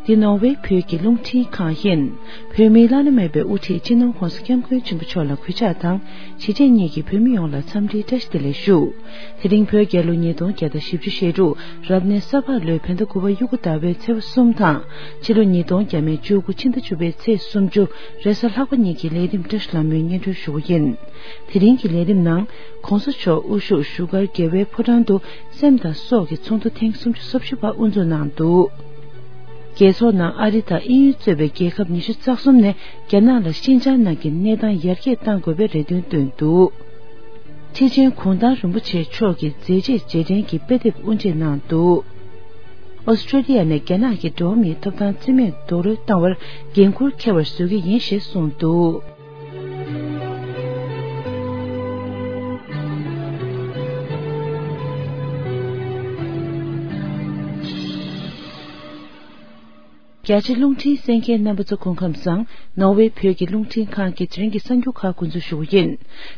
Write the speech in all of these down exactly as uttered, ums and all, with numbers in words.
འདི་ནོར་ཝེ་བོད་ཀྱི་རླུང་འཕྲིན་ཁང་ཡིན། བོད་མིའི་བླ་ན་མེད་པའི་དབུ་ཁྲིད་སྤྱི་ནོར་༧གོང་ས་༧སྐྱབས་མགོན་ཆེན་པོ་མཆོག་ལ་གུས་ཕྱག་དང་། གཞིས་བྱེས་གཉིས་ཀྱི་བོད་མི་ཡོངས་ལ་འཚམས་འདྲིའི་བཀྲ་ཤིས་བདེ་ལེགས་ཞུ། དེ་རིང་བོད་རྒྱལ་ལོ་ཉིས་སྟོང་བརྒྱ་དང་བཞི་བཅུ་ཞེ་དྲུག་རབ་གནས་ས་ཕག་ལོའི་བོད་ཟླ་དགུ་པ་དབྱུག་གུ་ཟླ་བའི་ཚེས་པ་གསུམ་དང་། ཕྱི་ལོ་ཉིས་སྟོང་བརྒྱ་མེད་བཅུ་དགུ་ཕྱི་ཟླ་བཅུ་པའི་ཚེས་སུམ་ཅུ་རེས་གཟའ་ལྷག་པ་གཉིས་ཀྱི་ལས་རིམ་བཀྲ་ཤིས་ལྷ་མོས་སྙན་སྒྲོན་ཞུ་བ་ཡིན། དེ་རིང་གི་ལས་རིམ་ནང་། ྋགོང་ས་མཆོག་དབུ་བཞུགས་བཞུགས་སྒར་རྒྱལ་བའི་ཕོ་བྲང་དུ་སེམས་དང་སྲོག་གི་ཚོགས་འདུ་ཐེངས་སུམ་ཅུ་སོ་བཞི་པ་དབུ་འཛུགས་གནང་འདུག་རྒྱལ་ཚོགས་ནང་ཨ་རི་དང་དབྱིན་ཡུལ་གཙོས་པའི་རྒྱལ་ཁབ་ཉི་ཤུ་རྩ་གསུམ་ནས་རྒྱ་ནག་ལ་ཤིན་ཅང་ནང་གི་གནས་སྟངས་ཡར་རྒྱས་གཏང་དགོས་པའི་རེ་འདུན་བཏོན་འདུག་ཁྲི་ཆེན་གུང་ཐང་རིན་པོ་ཆེ་མཆོག་གི་མཛད་རྗེས་རྗེས་དྲན་གྱི་དཔེ་དེབ་དབུ་འབྱེད་གནང་འདུག་ཨོ་སི་ཀྲོ་ལི་ཡ་ནས་རྒྱ་ནག་གི་འགྲོ་བ་མིའི་ཐོབ་ཐང་རྩིས་མེད་རྡོག་རོལ་བཏང་བར་འགན་འཁུར་འཁྱེར་བར་བཟོ་གི་ཡིན་ཞེས་གསུངས་འདུག་རྒྱ་ཆེ་རླུང་འཕྲིན་གསན་མཁན་རྣམ་པ་ཚོ་སྐུ་ཁམས་བཟང་། ནོར་ཝེ་བོད་ཀྱི་རླུང་འཕྲིན་ཁང་གི་དེ་རིང་གི་གསར་འགྱུར་ཁག་འགོ་འཛུགས་ཞུ་བ་ཡིན།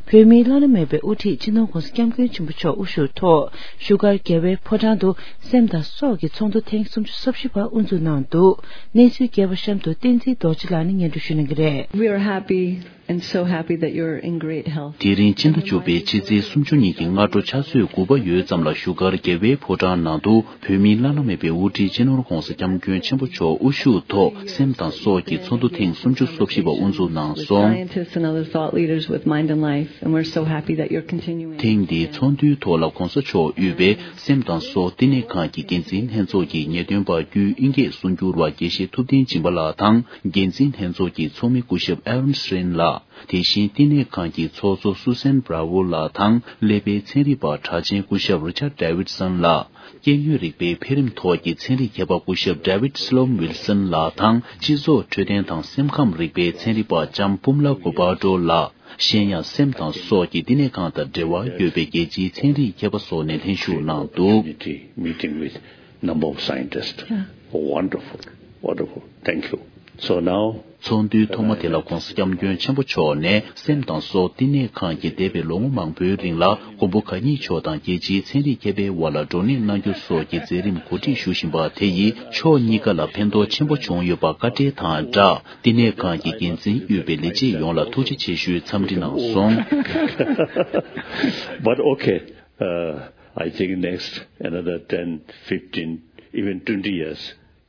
བོད་མིའི་བླ་ན་མེད་པའི་དབུ་ཁྲིད་སྤྱི་ནོར་༧གོང་ས་༧སྐྱབས་མགོན་ཆེན་པོ་མཆོག་དབུ་བཞུགས་ཐོག་བཞུགས་སྒར་རྒྱལ་བའི་ཕོ་བྲང་དུ་སེམས་དང་སྲོག་གི་ཚོགས་འདུ་ཐེངས་སུམ་ཅུ་སོ་བཞི་པ་དབུ་འཛུགས་གནང་འདུག་གནས་ཚུལ་རྒྱས་པ་གཤམ་དུ་བསྟན་འཛིན་རྡོ་རྗེ་ལགས་ནས་སྙན་སྒྲོན་ཞུ་གནང་གི་རེད། We are happy and so happy that you're in great health. དེ་རིང་ཕྱི་ཟླ་བཅུ་པའི་ཕྱི་ཚེས་སུམ་ཅུ་ཉིན་གྱི་སྔ་དྲོ་ཆུ་ཚོད་དགུ་པ་ཡོལ་ཙམ་ལ་བཞུགས་སྒར་རྒྱལ་བའི་ཕོ་བྲང་ནང་དུ་བོད་མིའི་བླ་ན་མེད་པའི་དབུ་ཁྲིད་སྤྱི་ནོར་༧གོང་ས་༧སྐྱབས་མགོན་ཆེན་པོ་མཆོག་དབུ་བཞུགས་ཐོག་སེམས་དང་སྲོག་གི་ཚོགས་འདུ་ཐེངས་སུམ་ཅུ་སོ་བཞི་པ་དབུ་འཛུགས་གནང་སོང་། Scientists and other thought leaders with mind and life, and we're so happy that you're continuing. ཐེངས་འདིའི་ཚོགས་འདུའི་ཐོག་ལ་༧གོང་ས་མཆོག་དབུས་པའི་སེམས་དང་སྲོག་བསྟི་གནས་ཁང་གི་འགན་འཛིན་ལྷན་ཚོགས་ཀྱི་ངེས་སྟོན་པ་བརྒྱུད་དབྱིན་སྐད་གསུང་སྒྱུར་བ་དགེ་བཤེས་ཐུབ་བསྟན་སྦྱིན་པ་ལགས་དང་། འགན་འཛིན་ལྷན་ཚོགས་ཀྱི་ཚོགས་མི་སྐུ་ཞབས་ཨ་རོན་སི་རིན་ལགས། དེ་བཞིན་བསྟི་གནས་ཁང་གི་ཚོགས་གཙོ་སུ་སན་བྷ་ར་ཝོ་ལགས་དང་། ཀླད་པའི་ཚན་རིག་པ་གྲགས་ཅན་སྐུ་ཞབས་རི་ཆར་ཌེ་ཝིད་སོན་ལགས། སྐྱེ་དངོས་རིག་པའི་འཕེལ་རིམ་ཐོག་གི་ཚན་རིག་མཁས་པ་སྐུ་ཞབས་ཌེ་ཝིད་སི་ལོམ་ཝིལ་སོན་ལགས་དང་། སྤྱི་ཚོགས་འཕྲོད་བསྟེན་དང་སེམས་ཁམས་རིག་པའི་ཚན་རིག་པ་ལྕམ་པུམ་ལ་གུ་པ་ཏྲོ་ལགས། གཞན་ཡང་སེམས་དང་སྲོག་གི་བསྟི་གནས་ཁང་དང་འབྲེལ་བ་ཡོད་པའི་རྒྱལ་སྤྱིའི་ཚན་རིག་མཁས་པ་སོགས་ནས་ལྷན་ཞུགས་གནང་འདུག Community meeting with number of scientists. Yeah. Wonderful, wonderful. Thank you. So now, ཚོགས་འདུའི་ཐོག་མ་དེ་ལ་༧གོང་ས་༧སྐྱབས་མགོན་ཆེན་པོ་མཆོག་ནས་སེམས་དང་སྲོག་བསྟི་གནས་ཁང་གིས་འདས་པའི་ལོ་ངོ་མང་པོའི་རིང་ལ་མགོན་པོ་གང་ཉིད་མཆོག་དང་རྒྱལ་སྤྱིའི་ཚན་རིག་མཁས་པའི་དབར་ལ་བགྲོ་གླེང་གནང་རྒྱུ་སོགས་ཀྱི་མཛད་རིམ་གོ་སྒྲིག་ཞུ་བཞིན་པ་དེ་ཡིས་ཕྱོགས་གཉིས་ཀ་ལ་ཕན་ཐོགས་ཆེན་པོ་བྱུང་ཡོད་པ་བཀའ་འཁྲོལ་དང་སྦྲགས། བསྟི་གནས་ཁང་གི་འགན་འཛིན་དབུས་པའི་ལས་བྱེད་ཡོངས་ལ་ཐུགས་རྗེ་ཆེ་ཞུའི་འཚམས་འདྲི་གནང་སོང་། But okay, uh, I think next another ten, fifteen, even twenty years,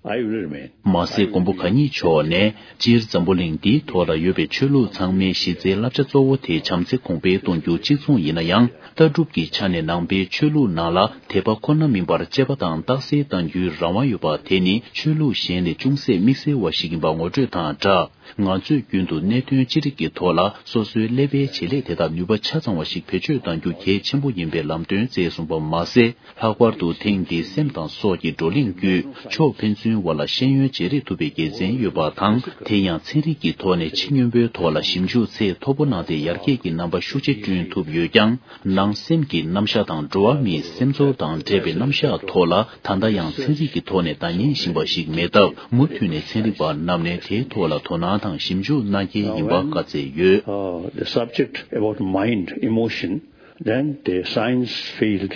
I will remain. མ་ཟད་མགོན་པོ་གང་ཉིད་མཆོག་ནས་སྤྱིར་འཛམ་བུ་གླིང་འདིའི་ཐོག་ལ་ཡོད་པའི་ཆོས་ལུགས་ཚང་མའི་གཞི་རྩའི་བསླབ་བྱ་གཙོ་བོ་དེ་བྱམས་བརྩེ་གོང་འཕེལ་གཏོང་རྒྱུ་གཅིག་མཚུངས་ཡིན་ན་ཡང་། ལྟ་གྲུབ་ཀྱི་ཆ་ནས་ནང་པའི་ཆོས་ལུགས་ནང་ལ་དད་པ་ཁོ་ན་མིན་པར་གཅེས་པ་དང་རྟག་གསལ་གཏང་རྒྱུའི་རང་དབང་ཡོད་པ་དེ་ནི་ཆོས་ལུགས་གཞན་ལས་ཅུང་ཟད་དམིགས་བསལ་བ་ཞིག་ཡིན་པ་ངོ་སྤྲོད་དང་སྦྲགས། ང་ཚོས་རྒྱུན་དུ་གནད་དོན་ཅི་རིགས་ཀྱི་ཐོག་ལ་སོ་སོའི་ཀླད་པའི་བྱེད་ལས་དེ་དག་ནུས་པ་ཆ་ཚང་བ་ཞིག་བེད་སྤྱོད་གཏང་རྒྱུ་གལ་ཆེན་པོ་ཡིན་པའི་ལམ་སྟོན་བསྩལ་སོང་པ་མ་ཟད། ལྷག་པར་དུ་ཐེངས་འདིའི་སེམས་དང་སྲོག་གི་བགྲོ་གླེང་བརྒྱུད་ཕྱོགས་ཕན་ཚུན་དབར་ལ་ཤེས་ཡོན་བརྗེ་རེས་ཐུབ་པའི་དགེ་མཚན་ཡོད་པ་དང་། དེ་ཡང་ཚན་རིག་གི་ཐོག་ནས་ཕྱི་སྙོམས་པོའི་ཐོག་ལ་ཞིབ་འཇུག་ཚད་མཐོ་པོ་གནང་སྟེ་ཡར་རྒྱས་ཀྱི་རྣམ་པ་ཤུགས་ཆེ་བསྐྲུན་ཐུབ་ཡོད་ཀྱང་། ནང་སེམས་ཀྱི་རྣམ་གཞག་དང་འགྲོ་བ་མིའི་སེམས་ཚོར་དང་འབྲེལ་བའི་རྣམ་གཞག་ཐོག་ལ་ད་ལྟ་ཡང་ཚན་རིག་གི་ཐོག་ནས་བརྡ་རྙིང་བཞིན་པ་ཞིག་མེད་སྟབས། མུ་མཐུད་ནས་ཚན་རིག་པ་རྣམས་ནས་དེའི་ཐོག་ལ་དོ་སྣང་དང་ཞིབ་འཇུག་གནང་གལ་ཡིན་པ་བཀའ་སྩལ་ཡོད། Uh, the subject about mind, emotion, then the science field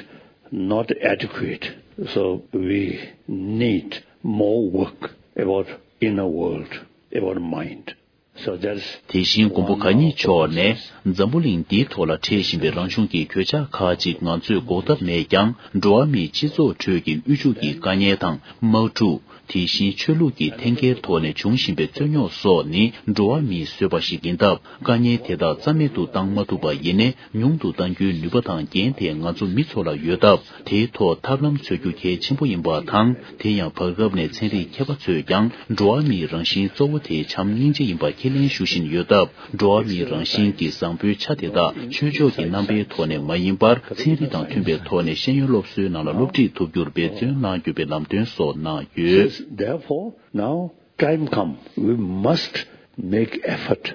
not adequate. So we need more work about inner world, about mind. So that's དེ་བཞིན་མགོན་པོ་གང་ཉིད་མཆོག་ནས་འཛམ་བུ་གླིང་འདིའི་ཐོག་ལ་འཕྲད་བཞིན་པའི་རང་གཞུང་གི་གོད་ཆག་ཁག་ཅིག་ང་ཚོས་འགོག་ཐབས་མེད་ཀྱང་། འགྲོ་བ་མིའི་སྤྱི་ཚོགས་ཁྲོད་ཀྱི་དབུལ་ཕྱུག་གི་དཀའ་ངལ་དང་། དམག་འཁྲུག་དེ་བཞིན་ཆོས་ལུགས་ཀྱི་འཐེན་འཁྱེར་ཐོག་ནས་འབྱུང་བཞིན་པའི་རྩོད་རྙོག་སོགས་ནི་འགྲོ་བ་མིའི་བཟོས་པ་ཞིག་ཡིན་སྟབས། དཀའ་ངལ་དེ་དག་རྩ་མེད་དུ་བཏང་མ་ཐུབ་པ་ཡིན་ནའི། ཉུང་དུ་གཏང་རྒྱུའི་ནུས་པ་དང་འགན་དེ་ང་ཚོ་མི་ཚོ་ལ་ཡོད་སྟབས། དེའི་ཐོག་ཐབས་ལམ་འཚོལ་རྒྱུ་གལ་ཆེན་པོ་ཡིན་པ་དང་། དེ་ཡང་བར་སྐབས་ནས་ཚན་རིག་མཁས་པ་ཚོས་ཀྱང་འགྲོ་བ་མིའི་རང་བཞིན་གཙོ་བོ་དེ་བྱམས་སྙིང་རྗེ་ཡིན་པ་ཁས་ལེན་ཞུ་བཞིན་ཡོད་སྟབས། འགྲོ་བ་མིའི་རང་བཞིན་གྱི་བཟང་པོའི་ཆ་དེ་དག་ཆོས་ཕྱོགས་ཀྱི་རྣམ་པའི་ཐོག་ནས་མ་ཡིན་པར། ཚན་རིག་དང་མཐུན་པའི་ཐོག་ནས་ཤེས་ཡོན་སློབ་གསོའི་ནང་ལ་སློབ་ཁྲིད་ཐུབ་རྒྱུར་འབད་བརྩོན་གནང་རྒྱུ་བའི་ལམ་སྟོན་སོགས་གནང་ཡོད། Says, therefore, now time come, we must make effort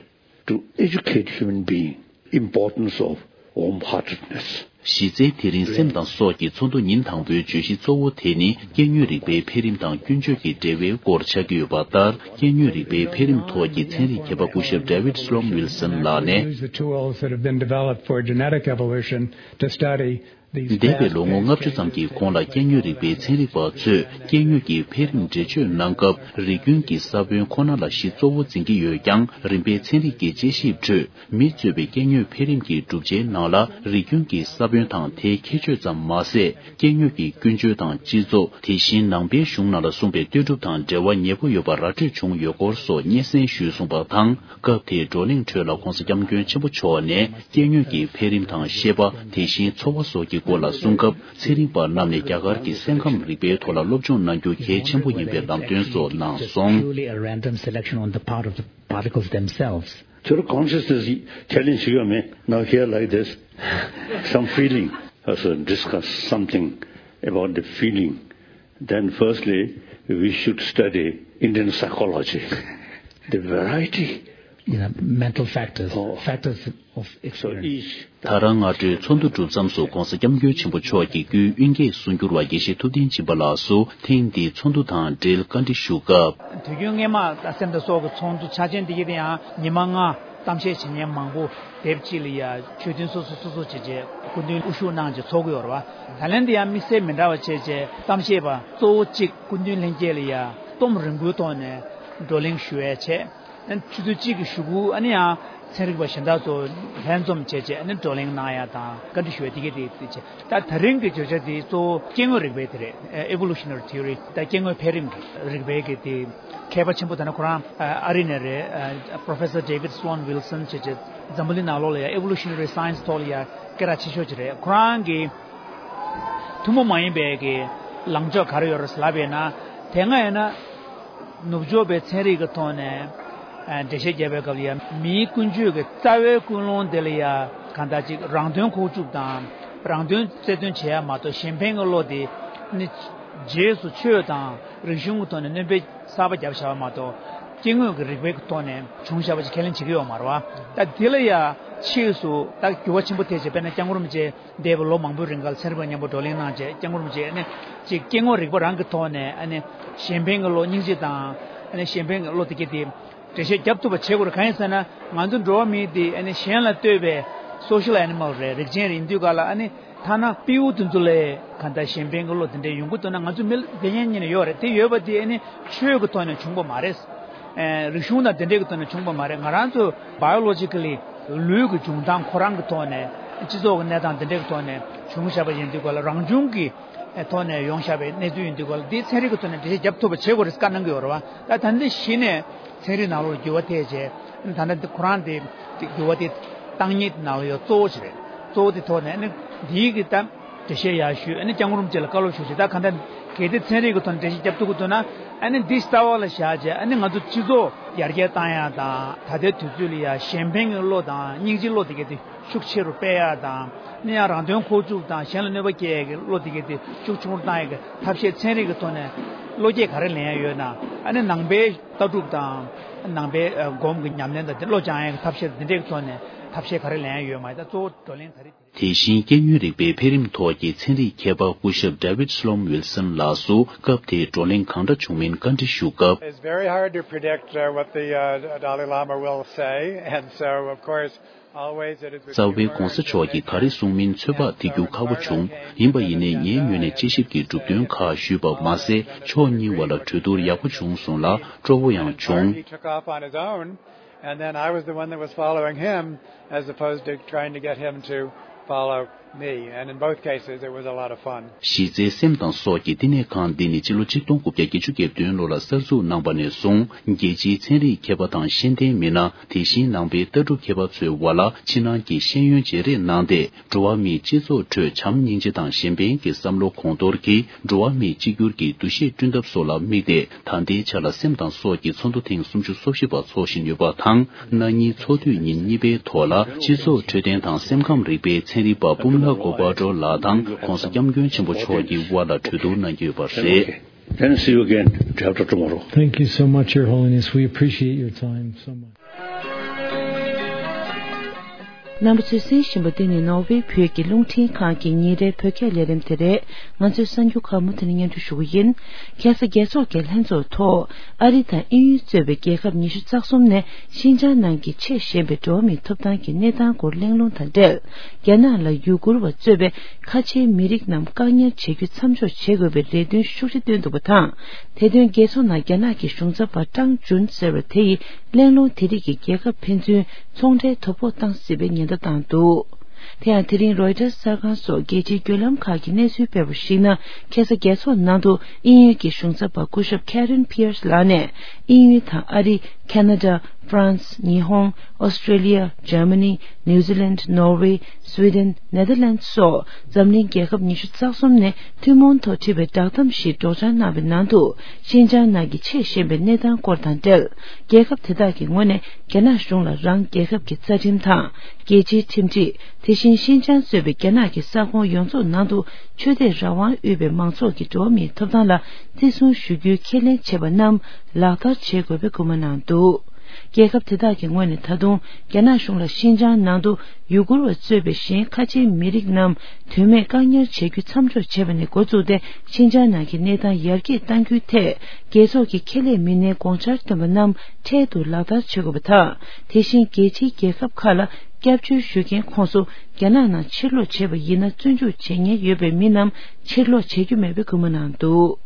to educate human being importance of warm-heartedness. གཞི་རྩའི་དེ་རིང་སེམས་དང་སྲོག་གི་ཚོགས་འདུ་ཉིན་དང་པོའི་བརྗོད་གཞི་གཙོ་བོ་དེ་ནི། སྐྱེ་དངོས་རིག་པའི་འཕེལ་རིམ་དང་ཀུན་སྤྱོད་ཀྱི་འབྲེལ་བའི་སྐོར་ཆགས་ཀྱི་ཡོད་པ་ལྟར། སྐྱེ་དངོས་རིག་པའི་འཕེལ་རིམ་ཐོག་གི་ཚན་རིག་མཁས་པ་སྐུ་ཞབས་ཌེ་ཝིད་སི་ལོམ་ཝིལ་སོན་ལགས་ནས། Use the tools that have been developed for genetic evolution to study འདས་པའི་ལོ་ངོ་ལྔ་བཅུ་ཙམ་གྱི་གོང་ལ་སྐྱེ་དངོས་རིག་པའི་ཚན་རིག་པ་ཚོས་སྐྱེ་དངོས་ཀྱི་འཕེལ་རིམ་འགྲེལ་བརྗོད་གནང་སྐབས། རིགས་རྒྱུན་གྱི་ས་བོན་ཁོ་ན་ལ་གཞི་གཙོ་བོ་འཛིན་གྱི་ཡོད་ཀྱང་། རིམ་པས་ཚན་རིག་གི་དཔྱད་ཞིབ་ཁྲོད། མི་གཙོས་པའི་སྐྱེ་དངོས་འཕེལ་རིམ་གྱི་གྲུབ་ཆའི་ནང་ལ་རིགས་རྒྱུན་གྱི་ས་བོན་དང་དེའི་ཁྱད་ཆོས་ཙམ་མ་ཟད། སྐྱེ་དངོས་ཀྱི་ཀུན་སྤྱོད་དང་སྤྱི་ཚོགས། དེ་བཞིན་ནང་པའི་གཞུང་ནང་ལ་གསུངས་པའི་ལྟོས་གྲུབ་དང་འབྲེལ་བ་ཉེ་པོ་ཡོད་པ་ར་སྤྲོད་བྱུང་ཡོད་སྐོར་སོགས་སྙན་སེང་ཞུས་གསུངས་པ་དང་། སྐབས་དེའི་བགྲོ་གླེང་ཁྲོད་ལ་༧གོང་ས་༧སྐྱབས་མགོན་ཆེན་པོ་མཆོག་ནས་སྐྱེ་དངོས་ཀྱི་འཕེལ་རིམ་དང་ཤེས་པ། དེ་བཞིན་འཚོ་བ་སོགས་ཀྱི་སྐོར་ལ་གསུང་སྐབས། ཚན་རིག་པ་རྣམས་ནས་རྒྱ་གར་གྱི་སེམས་ཁམས་རིག་པའི་ཐོག་ལ་སློབ་སྦྱོང་གནང་རྒྱུ་གལ་ཆེན་པོ་ཡིན་པའི་ལམ་སྟོན་སོགས་གནང་སོང་། Purely a random selection on the part of the particles themselves. Sort of consciousness challenge you me. Now here like this, some feeling. Also discuss something about the feeling. Then firstly, we should study Indian psychology. The variety. You know, mental factors, oh. Factors of so experience. Each ད་རང་སྔ་དྲོའི་ཚོགས་འདུ་གྲུབ་མཚམས་སུ་༧གོང་ས་༧སྐྱབས་མགོན་ཆེན་པོ་མཆོག་གི་སྐུའི་དབུ་འབྱེད་གསུང་སྒྱུར་བ་དགེ་བཤེས་ཐུབ་བསྟན་སྦྱིན་པ་ལགས་སུ་ཐེངས་འདིའི་ཚོགས་འདུ་དང་འབྲེལ་བཀའ་འདྲི་ཞུ་སྐབས། དུས་རྒྱུན་སྔས་མ་ད་སེམས་དང་སྲོག་གི་ཚོགས་འདུ་ཆ་ཆེན་འདི་གི་དེ་ཡང་ཉི་མ་ལྔ་གཏམ་བཤད་བྱེད་མཁན་མང་པོ་དེབ་གཅིག་ལ་ཡ་ཆོས་ཐུན་སོ་སོ་སོ་སོ་བྱས་བྱས་སྐུ་མདུན་དབུ་བཞུགས་གནང་བྱས་ཚོགས་ཀྱི་ཡོད་རེད་བ། ད་ལན་འདི་ཡང་དམིགས་བསལ་མི་འདྲ་བ་བྱས་བྱས་གཏམ་བཤད་པ་གཙོ་བོ་གཅིག་སྐུ་མདུན་ལྷན་རྒྱས་ལ་ཡ་གཏོང་རིང་པོའི་ཐོག་ནས་བགྲོ་གླེང་ཞུ་ཡས་བྱས། ཆུ་ཚོད་གཅིག་གི་གཞུག་གུ་ཨ་ནི་ཡང་ཚན་རིག་པ་གཞན་དག་ཚོ་ལྷན་འཛོམས་བྱས་བྱས་ཨ་ནི་བགྲོ་གླེང་གནང་ཡ་དང་བཀའ་འདྲི་ཞུ་ཡ་དེ་གས་དེ་དེ་བྱས། ད་ད་རིང་གི་བརྗོད་བྱ་དེ་གཙོ་བོ་སྐྱེ་དངོས་རིག་པའི་དེ་རེད། Evolutionary Theory། ད་སྐྱེ་དངོས་འཕེལ་རིམ་གྱི་རིག་པའི་གི་དེ་མཁས་པ་ཆེན་པོ་ད་ནི་ཁོ་རང་ཨ་རི་ནས་རེད། Professor David Sloan Wilson་བྱས་བྱས་འཛམ་བུ་གླིང་ནང་ལོགས་ལ་ཡ་Evolutionary Science་ཐོག་ལ་ཡ་སྐད་གྲགས་ཆེ་ཤོས་ཅིག་རེད། ཁོ་རང་གི་ཐུན་མོང་མ་ཡིན་པའི་གི་ལངས་ཕྱོགས་ག་རེ་ཡོད་རེད་ལབ་པས་ན། དེ་སྔ་ཡིན་ན་ནུབ་ཕྱོགས་པའི་ཚན་རིག་གི་ཐོག་ནས་ཨ་འགྲེལ་བཤད་བརྒྱབ་པའི་སྐབས་ལ་ཡང་མིའི་ཀུན་སྤྱོད་ཀྱི་རྩ་བའི་ཀུན་སློང་དེ་ལ་ཡང་གང་ལྟར་ཅིག་རང་དོན་ཁུག་བཅུག་དང་རང་དོན་རྩལ་འདོན་བྱེད་ཡ་མ་གཏོགས་གཞན་ཕན་གྱི་བློ་དེ་ནི་རྗེས་སུ་ཆོས་དང་རིག་གཞུང་གི་ཐོག་ནས་སྣོན་པ་གསར་པ་བརྒྱབ་བཞག་པ་མ་གཏོགས་སྐྱེ་དངོས་ཀྱི་རིག་པའི་ཐོག་ནས་བྱུང་བཞག་པ་ཅིག་ཁས་ལེན་བྱེད་ཀྱི་ཡོད་མ་རེད་བ། ད་དེ་ལ་ཡང་ཕྱིས་སུ་ད་འགྱུར་བ་ཆེན་པོ་ཐེབས་བྱས་དཔེར་ན་སྐྱབས་མགོན་རིན་པོ་ཆེ། འདས་པའི་ལོ་མང་པོའི་རིང་ག་ལ་ཚན་རིག་པ་མཉམ་པོ་བགྲོ་གླེང་གནང་བྱས་སྐྱབས་མགོན་རིན་པོ་ཆེ་ཨ་ནི་ཅིག་སྐྱེ་དངོས་རིག་པ་རང་གི་ཐོག་ནས་ཨ་ནི་གཞན་ཕན་གྱི་བློ་སྙིང་རྗེ་དང་ཨ་ནི་གཞན་ཕན་གྱི་བློ་དེ་གས་དེ་འགྲེལ་བཤད་རྒྱབ་ཐུབ་པ་བྱེད་དགོས་རེད། གང་ཡིན་ཟེར་ན་ང་ཚོ་འགྲོ་བ་མི་དེ་ཨ་ནི་གཞན་ལ་ལྟོས་པའི་social animal་རེད། རིགས་ཅན་རེད། ཡིན་དུས་ག་ལ་ཨ་ནི་ཐ་ན་སྤྲེའུ་དེ་ཚོ་ལས་ག་འདྲ་གཞན་ཕན་གྱི་བློ་དེ་འདྲ་ཡོང་གི་འདུག་ན་ང་ཚོ་མི་ལ་དེ་ཉན་ཉན་ཡོད་རེད། དེ་ཡོད་པ་དེ་ཨ་ནི་ཆོས་ཀྱི་ཐོག་ནས་བྱུང་པ་མ་རེད། ཨེ་རིག་གཞུང་དང་དེ་འདྲའི་གི་ཐོག་ནས་བྱུང་པ་མ་རེད། ང་རང་ཚོ་biologically་ལུས་ཀྱི་འབྱུང་སྟངས་ཁོ་རང་གི་ཐོག་ནས་སྤྱི་ཚོགས་ཀྱི་གནས་སྟངས་དེ་འདྲའི་གི་ཐོག་ནས་བྱུང་བཞག་པ་ཡིན་དུས་ག་ལ་རང་བྱུང་གི་ཐོག་ནས་ཡོང་བཞག་པའི་གནས་ཚུལ་ཡིན་དུས་ག་ལ་འདི་ཚན་རིག་གི་ཐོག་ནས་འགྲེལ་བཤད་རྒྱབ་ཐུབ་པ་བྱེད་དགོས་རེད་བཀའ་གནང་གི་ཡོད་རེད་བ། ད་ད་འདི་གཞི་ནས་ཚན་རིག་ནང་ལོགས་འགྱུར་བ་ཐེབས་བྱས་ད་ལྟ་འདི་ཁོ་རང་དེ་འགྱུར་བ་དེ་བཏང་ཉིད་ནང་ལ་ཡོད་གཙོ་བོ་ཞིག་རེད། གཙོ་བོ་དེ་ཐོག་ནས་ནི་འདིའི་གི་ད། འགྲེལ་བཤད་ཡག་ཞུས་ཨ་ནི་སྐྱབས་མགོན་རིན་པོ་ཆེ་ལ་བཀའ་སློབ་ཞུ་ཞེས་ད་གང་ལྟར་གལ་ཏེ་ཚན་རིག་གི་ཐོག་ནས་འགྲེལ་བཤད་རྒྱབ་ཐུབ་ཀྱི་འདུག་ན་ཨ་ནི་འདི་རྩ་བ་ལ་བཞག་བྱས་ཨ་ནི་ང་ཚོ་སྤྱི་ཚོགས་ཡར་རྒྱས་བཏང་ཡག་དང་ད་ལྟའི་དུས་ཚོད་ལ་ཡ་གཞན་ཕན་གྱི་བློ་དང་སྙིང་རྗེའི་བློ་དེ་གས་དེ་ཤུགས་ཆེ་རུ་སྤེལ་ཡག་དང་ཨ་ནི་ཡང་རང་དོན་ཁོག་བཅུག་དང་གཞན་ལ་གནོད་པ་སྐྱེལ་ཡག་གི་བློ་དེ་གས་དེ་ཤུགས་ཆུང་རུ་བཏང་ཡག་གི་ཐབས་ཤེས་ཚན་རིག་གི་ཐོག་ནས་བློ་སྐྱེད་ག་རེ་ལེན་ཡག་ཡོད་ན་ཨ་ནི་ནང་པའི་ལྟ་གྲུབ་དང་ནང་པའི་སྒོམ་གྱི་ཉམས་ལེན་དང་དེ་བློ་སྦྱང་ཡག་གི་ཐབས་ཤེས་དེ་འདྲའི་གི་ཐོག་ནས་ཐབས་ཤེས་ག་རེ་ལེན་ཡག་ཡོད་མ་ཡིན་ད་གཙོ་བོ་བགྲོ་གླེང་ད་རེས་དེ། དེ་བཞིན་སྐྱེ་དངོས་རིག་པའི་འཕེལ་རིམ་ཐོག་གི་ཚན་རིག་མཁས་པ་སྐུ་ཞབས་David Sloan Wilson་ལགས་སུ་སྐབས་དེའི་བགྲོ་གླེང་གང་འདྲ་བྱུང་མིན་བཀའ་འདྲི་ཞུ་སྐབས། It's very hard to predict uh, what the uh, Dalai Lama will say, and so of course, always it is with རྩ་བའི་༧གོང་ས་མཆོག་གིས་ག་རེ་གསུངས་མིན་ཚོད་དཔག་ཐེབས་རྒྱུ་ཁག་པོ་བྱུང་། ཡིན་པ་ཡིན་ནའི་ངའི་ངོས་ནས་དཔྱད་ཞིབ་ཀྱི་གྲུབ་དོན་ཁག་ཞུས་པ་མ་ཟད་ཕྱོགས་གཉིས་བར་ལ་གྲོས་བསྡུར་ཡག་པོ་བྱུང་སོང་ལ་སྤྲོ་བོ་ཡང་བྱུང་། He took off on his own. And then I was the one that was following him as opposed to trying to get him to follow me. And in both cases, it was a lot of fun. གཞི་རྩའི་སེམས་དང་སྲོག་གི་བསྟི་གནས་ཁང་འདི་ནི་སྤྱི་ལོ་ཆིག་སྟོང་དགུ་བརྒྱ་བརྒྱད་ཅུ་གྱ་བདུན་ལོ་ལ་གསར་འཛུགས་གནང་པ་ནས་བཟུང་རྒྱལ་སྤྱིའི་ཚན་རིག་མཁས་པ་དང་ཤེས་ལྡན་མི་སྣ་དེ་བཞིན་ནང་པའི་ལྟ་གྲུབ་མཁས་པ་ཚོའི་བར་ལ་ཕྱི་ནང་གི་ཤེས་ཡོན་བརྗེ་རེས་གནང་སྟེ། འགྲོ་བ་མིའི་སྤྱི་ཚོགས་ཁྲོད་བྱམས་སྙིང་རྗེ་དང་གཞན་ཕན་གྱི་བསམ་བློ་གོང་མཐོར་གྱིས་འགྲོ་བ་མིའི་གཅིག་གྱུར་གྱི་འདུ་ཤེས་བསྐྲུན་ཐབས་སོགས་ལ་དམིགས་ཏེ། ད་ལྟའི་ཆར་ལ་སེམས་དང་སྲོག་གི་ཚོགས་འདུ་ཐེངས་སུམ་ཅུ་སོ་བཞི་པ་འཚོགས་བཞིན་ཡོད་པ་དང་། གནངས་ཉིན་ཚོགས་དུས་ཉིན་གཉིས་པའི་ཐོག་ལ་སྤྱི་ཚོགས་འཕྲོད་བསྟེན་དང་སེམས་ཁམས་རིག་པའི་ཚན་རིག་པ་པུ་མ་ལ་གོ་པ་ཏྲོ་ལགས་དང་༧གོང་ས་༧སྐྱབས་མགོན་ཆེན་པོ་མཆོག་གི་དབར་ལ་གྲོས་བསྡུར་གནང་གི་ཡོད་པ་རེད། Then see you again day after tomorrow. Thank you so much, Your Holiness. We appreciate your time so much. རྣམ་པ་ཚོས་གསན་བཞིན་པ་འདི་ནི་ནོར་ཝེ་བོད་ཀྱི་རླུང་འཕྲིན་ཁང་གི་ཉིན་རེའི་བོད་སྐད་ལས་རིམ་དེ་རེད། ང་ཚོས་གསར་འགྱུར་ཁག་མུ་མཐུད་ནས་སྙན་སྒྲོན་ཞུ་གི་ཡིན། ཁ་སང་རྒྱལ་ཚོགས་ཀྱི་ལྷན་ཚོགས་ཐོག་ཨ་རི་དང་དབྱིན་ཡུལ་གཙོས་པའི་རྒྱལ་ཁབ་ཉི་ཤུ་རྩ་གསུམ་ནས་ཤིན་ཅང་ནང་གི་ཆེས་ཞན་པའི་འགྲོ་བ་མིའི་ཐོབ་ཐང་གི་གནས་སྟངས་སྐོར་གླེང་སློང་དང་འབྲེལ། རྒྱ་ནག་ལ་ཡུ་གུར་བ་གཙོས་པའི་ཁ་ཆེའི་མི་རིགས་རྣམས་བཀག་ཉར་བྱེད་རྒྱུ་མཚམས་འཇོག་བྱེད་དགོས་པའི་རེ་འདུན་ཤུགས་ཆེ་བཏོན་འདུག་པ་དང་། དེ་དོན་རྒྱལ་ཚོགས་ནང་རྒྱ་ནག་གི་གཞུང་ཚབ་པ་ཀྲང་ཅུན་ཟེར་བ་དེ་ཡིས་གླེང་སློང་དེ་རིགས་ཀྱི་རྒྱལ་ཁབ་ཕན་ཚུན་ཚོང་འབྲེལ་དོ་ཕོག་བཏང་སྲིད་པའི་ཉེན་བརྡ་བཏང་འདུག་དེ་ཡང་དེ་རིང་རོའི་ཊར་གསར་ཁང་སོགས་རྒྱལ་སྤྱིའི་བརྒྱུད་ལམ་ཁག་གིས་གནས་ཚུལ་སྤེལ་བར་གཞིགས་ན། ཁ་སང་རྒྱལ་ཚོགས་ནང་དུ་དབྱིན་ཡུལ་གྱི་གཞུང་ཚབ་པ་སྐུ་ཞབས་Karen Pierce ལགས་ནས། དབྱིན་ཡུལ་དང་ཨ་རི། ཁ་ན་ཌ། ཧྥ་རན་སི། ཉི་ཧོང་། ཨོ་སི་ཀྲེ་ལི་ཡ། འཇར་མ་ནི། ནིའུ་ཛི་ལན། ནོར་ཝེ། སུའི་ཌེན། ནེ་དར་ལན་སོགས་འཛམ་གླིང་རྒྱལ་ཁབ་ཉི་ཤུ་རྩ་གསུམ་ནས་ཐུན་མོང་ཐོག་བྲིས་པའི་བསྒྲགས་གཏམ་ཞིག་སྒྲོག་སྦྱང་གནང་བའི་ནང་དུ། ཤིན་ཅང་ནང་གི་ཆེས་ཞན་པའི་གནས་སྟངས་སྐོར་དང་འབྲེལ། རྒྱལ་ཁབ་དེ་དག་གི་ངོས་ནས་རྒྱ་ནག་གཞུང་ལ་རང་རྒྱལ་ཁབ་ཀྱི་རྩ་ཁྲིམས་དང་། རྒྱལ་སྤྱིའི་ཁྲིམས་སྒྲིག་དེ་བཞིན་ཤིན་ཅང་གཙོས་པའི་རྒྱ་ནག་གི་ས་ཁོངས་ཡོངས་རྫོགས་ནང་དུ་ཆོས་དད་རང་དབང་ཡོད་པའི་མང་ཚོགས་ཀྱི་འགྲོ་བ་མིའི་ཐོབ་ཐང་ལ་བརྩི་སྲུང་ཞུ་རྒྱུའི་ཁས་ལེན་བྱས་པ་རྣམས་ལག་བསྟར་བྱེད་དགོས་པའི་སྐུལ་མ་གནང་འདུག་རྒྱལ་ཁབ་དེ་དག་གི་ངོས་ནས་ད་དུང་རྒྱ་ནག་གཞུང་ལ་ཤིན་ཅང་ནང་དུ་ཡུ་གུར་བ་གཙོས་པའི་གཞན་ཁ་ཆེའི་མི་རིགས་རྣམས་དོན་མེད་བཀག་ཉར་བྱེད་རྒྱུ་མཚམས་འཇོག་བྱས་པ་ནས་འགོ་བཙུགས་ཏེ། ཤིན་ཅང་ནང་གི་གནས་སྟངས་ཡར་རྒྱས་གཏང་རྒྱུའི་ཐད། རྒྱལ་ཚོགས་ཀྱི་ཁེ་ལས་མི་སྣའི་དགོངས་འཆར་བཏོན་པ་རྣམས་འཕྲལ་དུ་ལག་བསྟར་བྱེད་དགོས་པ་དང་། དེ་བཞིན་རྒྱལ་སྤྱིའི་རྒྱལ་ཁབ་ཁག་ལ་སྐྱབས་བཅོལ་ཞུ་མཁན་ཁོངས་སུ་རྒྱ་ནག་ནང་ཕྱིར་ལོག་བྱས་པ་ཡིན་ན། བཙོན་འཇུག་བྱེད་ཉེན་ཡོད་པའི་མི་རྣམས་ཕྱིར་ལོག་བྱེད་རྒྱུ་མེད་པའི་སྐུལ་མ་གནང་འདུག་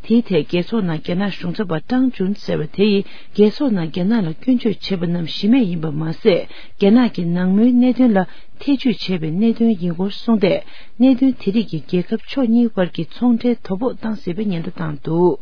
དེའི་ཐད་རྒྱལ་ཚོགས་ནང་རྒྱ་ནག་གཞུང་ཚབ་པ་ཀྲང་ཅུན་ཟེར་བ་དེ་ཡིས། རྒྱལ་ཚོགས་ནང་རྒྱ་ནག་ལ་སྐྱོན་བརྗོད་བྱས་པ་རྣམས་གཞི་མེད་ཡིན་པ་མ་ཟད། རྒྱ་ནག་གི་ནང་མོལ་གནད་དོན་ལ་ཐེ་ཇུས་བྱས་པའི་གནད་དོན་ཡིན་སྐོར་གསུངས་ཏེ། གནད་དོན་དེ་རིགས་ཀྱིས་རྒྱལ་ཁབ་ཕྱོགས་གཉིས་དབར་གྱི་ཚོང་འབྲེལ་དོ་ཕོག་བཏང་སྲིད་པའི་ཉེན་བརྡ་བཏང་འདུག་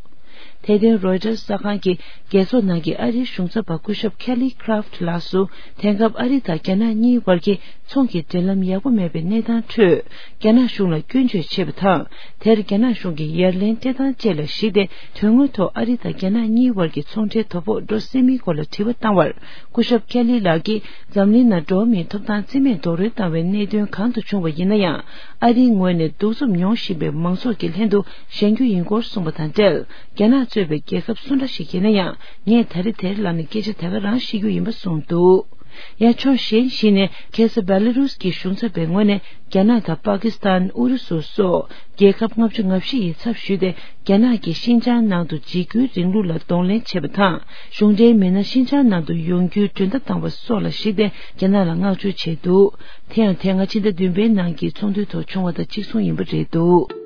དེ་དོན་རོའི་ཊར་གསར་ཁང་གིས་རྒྱལ་ཚོགས་ནང་གི་ཨ་རིའི་གཞུང་ཚབ་པ་སྐུ་ཞབས་Kelly Craft ལགས་སུ། དེང་སྐབས་ཨ་རི་དང་རྒྱ་ནག་གཉིས་དབར་གྱི་ཚོང་གི་འབྲེལ་ལམ་ཡག་པོ་མེད་པའི་གནས་སྟངས་ཁྲོད། རྒྱ་ནག་གཞུང་ལ་སྐྱོན་བརྗོད་བྱས་པ་དང་། དེར་རྒྱ་ནག་གཞུང་གིས་ཡ་ལན་སྤྲད་སྟངས་བཅས་ལ་གཞིགས་ཏེ། དོན་དངོས་ཐོག་ཨ་རི་དང་རྒྱ་ནག་གཉིས་དབར་གྱི་ཚོང་འབྲེལ་དོ་ཕོག་འགྲོ་སྲིད་མིན་སྐོར་ལ་དྲི་བ་བཏང་བར། སྐུ་ཞབས་ཁེ་ལི་ལགས་ཀྱིས། འཛམ་གླིང་ནང་འགྲོ་བ་མིའི་ཐོབ་ཐང་རྩིས་མེད་རྡོག་རོལ་བཏང་བའི་གནད་དོན་གང་དུ་བྱུང་བ་ཡིན་ན་ཡང་། ཨ་རིའི་ངོས་ནས་གདུག་རྩུབ་མྱོང་བཞིན་པའི་མང་ཚོགས་ཀྱི་ལྷན་དུ་བཞེངས་རྒྱུ་ཡིན་སྐོར་གསུངས་པ་དང་འབྲེལ། རྒྱ་ནག་གཙོས་པའི་རྒྱལ་ཁབ་སུ་འདྲ་ཞིག་ཡིན་ན་ཡང་། ངས་ད་རེས་དེར་ལངས་ནས་སྐད་ཆ་ད་ག་རང་བཤད་རྒྱུ་ཡིན་པ་གསུངས་འདུག་ཡང་ཕྱོགས་གཞན་ཞིག་ནས། ཁ་སང་བེ་ལ་རུས་ཀྱི་གཞུང་ཚབ་པའི་ངོས་ནས། རྒྱ་ནག་དང་པ་ཀི་སི་ཐན། ཨུ་རུ་སུ་སོགས་རྒྱལ་ཁབ་ལྔ་བཅུ་ང་བཞི་ཡི་ཚབ་ཞུས་ཏེ། རྒྱ་ནག་གིས་ཤིན་ཅང་ནང་དུ་འཇིགས་སྐུལ་རིང་ལུགས་ལ་གདོང་ལེན་བྱས་པ་དང་། གཞུང་འབྲེལ་མི་སྣ་ཤིན་ཅང་ནང་དུ་ཡོང་རྒྱུའི་མགྲོན་བརྡ་བཏང་བ་སོགས་ལ་གཞིགས་ཏེ། རྒྱ་ནག་ལ་བསྔགས་བརྗོད་བྱས་འདུག་དེ་ཡང་། དེ་སྔ་ཕྱི་ཟླ་བདུན་པའི་ནང་གི་ཚོགས་འདུའི་ཐོག་བྱུང་བ་དང་གཅིག་མཚུངས་ཡིན་པ་རེད་འདུག་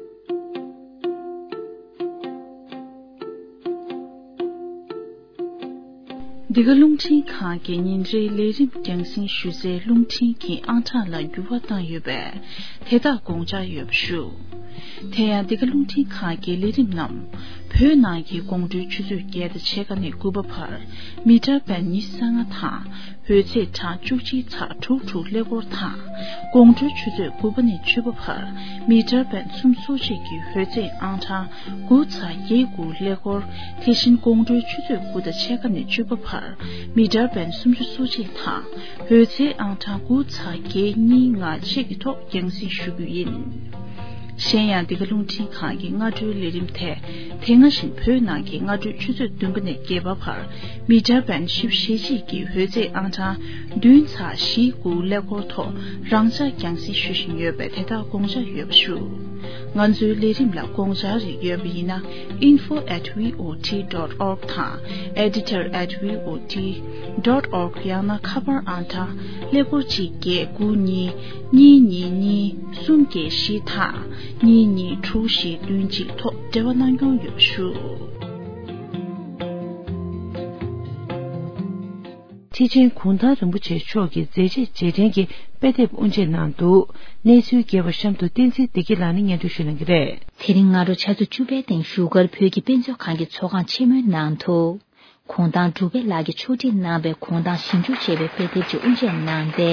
འདི་ག་རླུང་འཕྲིན་ཁང་གི་ཉིན་རེའི་ལས་རིམ་རྒྱང་སྲིང་ཞུ་སའི་རླུང་འཕྲིན་གྱི་ཨང་གྲངས་ལ་འགྱུར་བ་བཏང་ཡོད་པས། དེ་དག་དགོངས་འཇགས་ཡོད་པ་ཞུ། དེ་ཡང་། འདི་ག་རླུང་འཕྲིན་ཁང་གི་ལས་རིམ་རྣམས། བོད་ནང་གི་དགོང་དྲོའི་ཆུ་ཚོད་བརྒྱད་དང་ཕྱེད་ཀ་ནས་དགུ་པ་བར་མི་ཊར་བེན་ཉི་ཤུ་རྩ་ལྔ་དང་། འོད་ཚད་གྲངས་བཅུ་གཅིག་ཚེག་དྲུག་དྲུག་ཀླད་ཀོར་དང་། དགོང་དྲོའི་ཆུ་ཚོད་དགུ་པ་ནས་བཅུ་པ་བར་མི་ཊར་བེན་སུམ་ཅུ་སོ་གཅིག་གི་འོད་ཚད་ཨང་གྲངས་དགུ་ཚེག་བརྒྱད་དགུ་ཀླད་ཀོར། དེ་བཞིན་དགོང་དྲོའི་ཆུ་ཚོད་དགུ་དང་ཕྱེད་ཀ་ནས་བཅུ་པ་བར་མི་ཊར་བེན་སུམ་ཅུ་སོ་གཅིག་དང་། འོད་ཚད་ཨང་གྲངས་དགུ་ཚེག་བརྒྱད་གཉིས་ལྔ་བཅས་ཀྱི་ཐོག་རྒྱང་སྲིང་ཞུ་རྒྱུ་ཡིན། གཞན་ཡང་། འདི་ག་རླུང་འཕྲིན་ཁང་གི་སྔ་དྲོའི་ལས་རིམ་དེ། དེ་སྔ་བཞིན་བོད་ནང་གི་སྔ་དྲོའི་ཆུ་ཚོད་བདུན་པ་ནས་བརྒྱད་པ་བར་མི་ཊར་བེན་བཞི་བཅུ་ཞེ་གཅིག་གི་འོད་ཚད་ཨང་གྲངས་བདུན་ཚེག་བཞི་དགུ་ཀླད་ཀོར་ཐོག་རང་འཇགས་རྒྱང་སྲིང་ཞུ་བཞིན་ཡོད་པས། དེ་དག་དགོངས་འཇགས་ཡོད་པ་ཞུ། ང་ཚོའི་ལས་རིམ་ལ་དགོངས་འཆར་རིགས་ཡོད་པ་ཡིན་ན། info at V O T dot org དང་editor at V O T dot org། ཡང་ན་ཁ་པར་ཨང་གྲངས་ཀླད་ཀོར་གཅིག་བརྒྱད་དགུ་གཉིས་གཉིས་གཉིས་གཉིས་གསུམ་བརྒྱད་བཞི་དང་གཉིས་གཉིས་དྲུག་བཞི་བདུན་གཅིག་ཐོག་འབྲེལ་བ་གནང་སྐྱོང་ཡོད་པ་ཞུ། ཁྲི་ཆེན་གུང་ཐང་རིན་པོ་ཆེ་མཆོག་གི་མཛད་རྗེས་རྗེས་དྲན་གྱི་དཔེ་དེབ་དབུ་འབྱེད་གནང་འདུག་གནས་ཚུལ་རྒྱས་པ་གཤམ་དུ་བསྟན་འཛིན་བདེ་སྐྱིད་ལགས་ནས་སྙན་སྒྲོན་ཞུ་གནང་གི་རེད། དེ་རིང་སྔ་དྲོ་ཆུ་ཚོད་བཅུ་པའི་སྟེང་བཞུགས་སྒར་བོད་ཀྱི་དཔེ་མཛོད་ཁང་གི་ཚོགས་ཁང་ཆེན་མོའི་ནང་དུ། གུང་ཐང་འབྲུག་པའི་ལགས་ཀྱིས་ཕྱོགས་སྒྲིག་གནང་བའི་གུང་ཐང་ཞིབ་འཇུག་ཅེས་པའི་དཔེ་དེབ་ཅིག་དབུ་འབྱེད་གནང་སྟེ།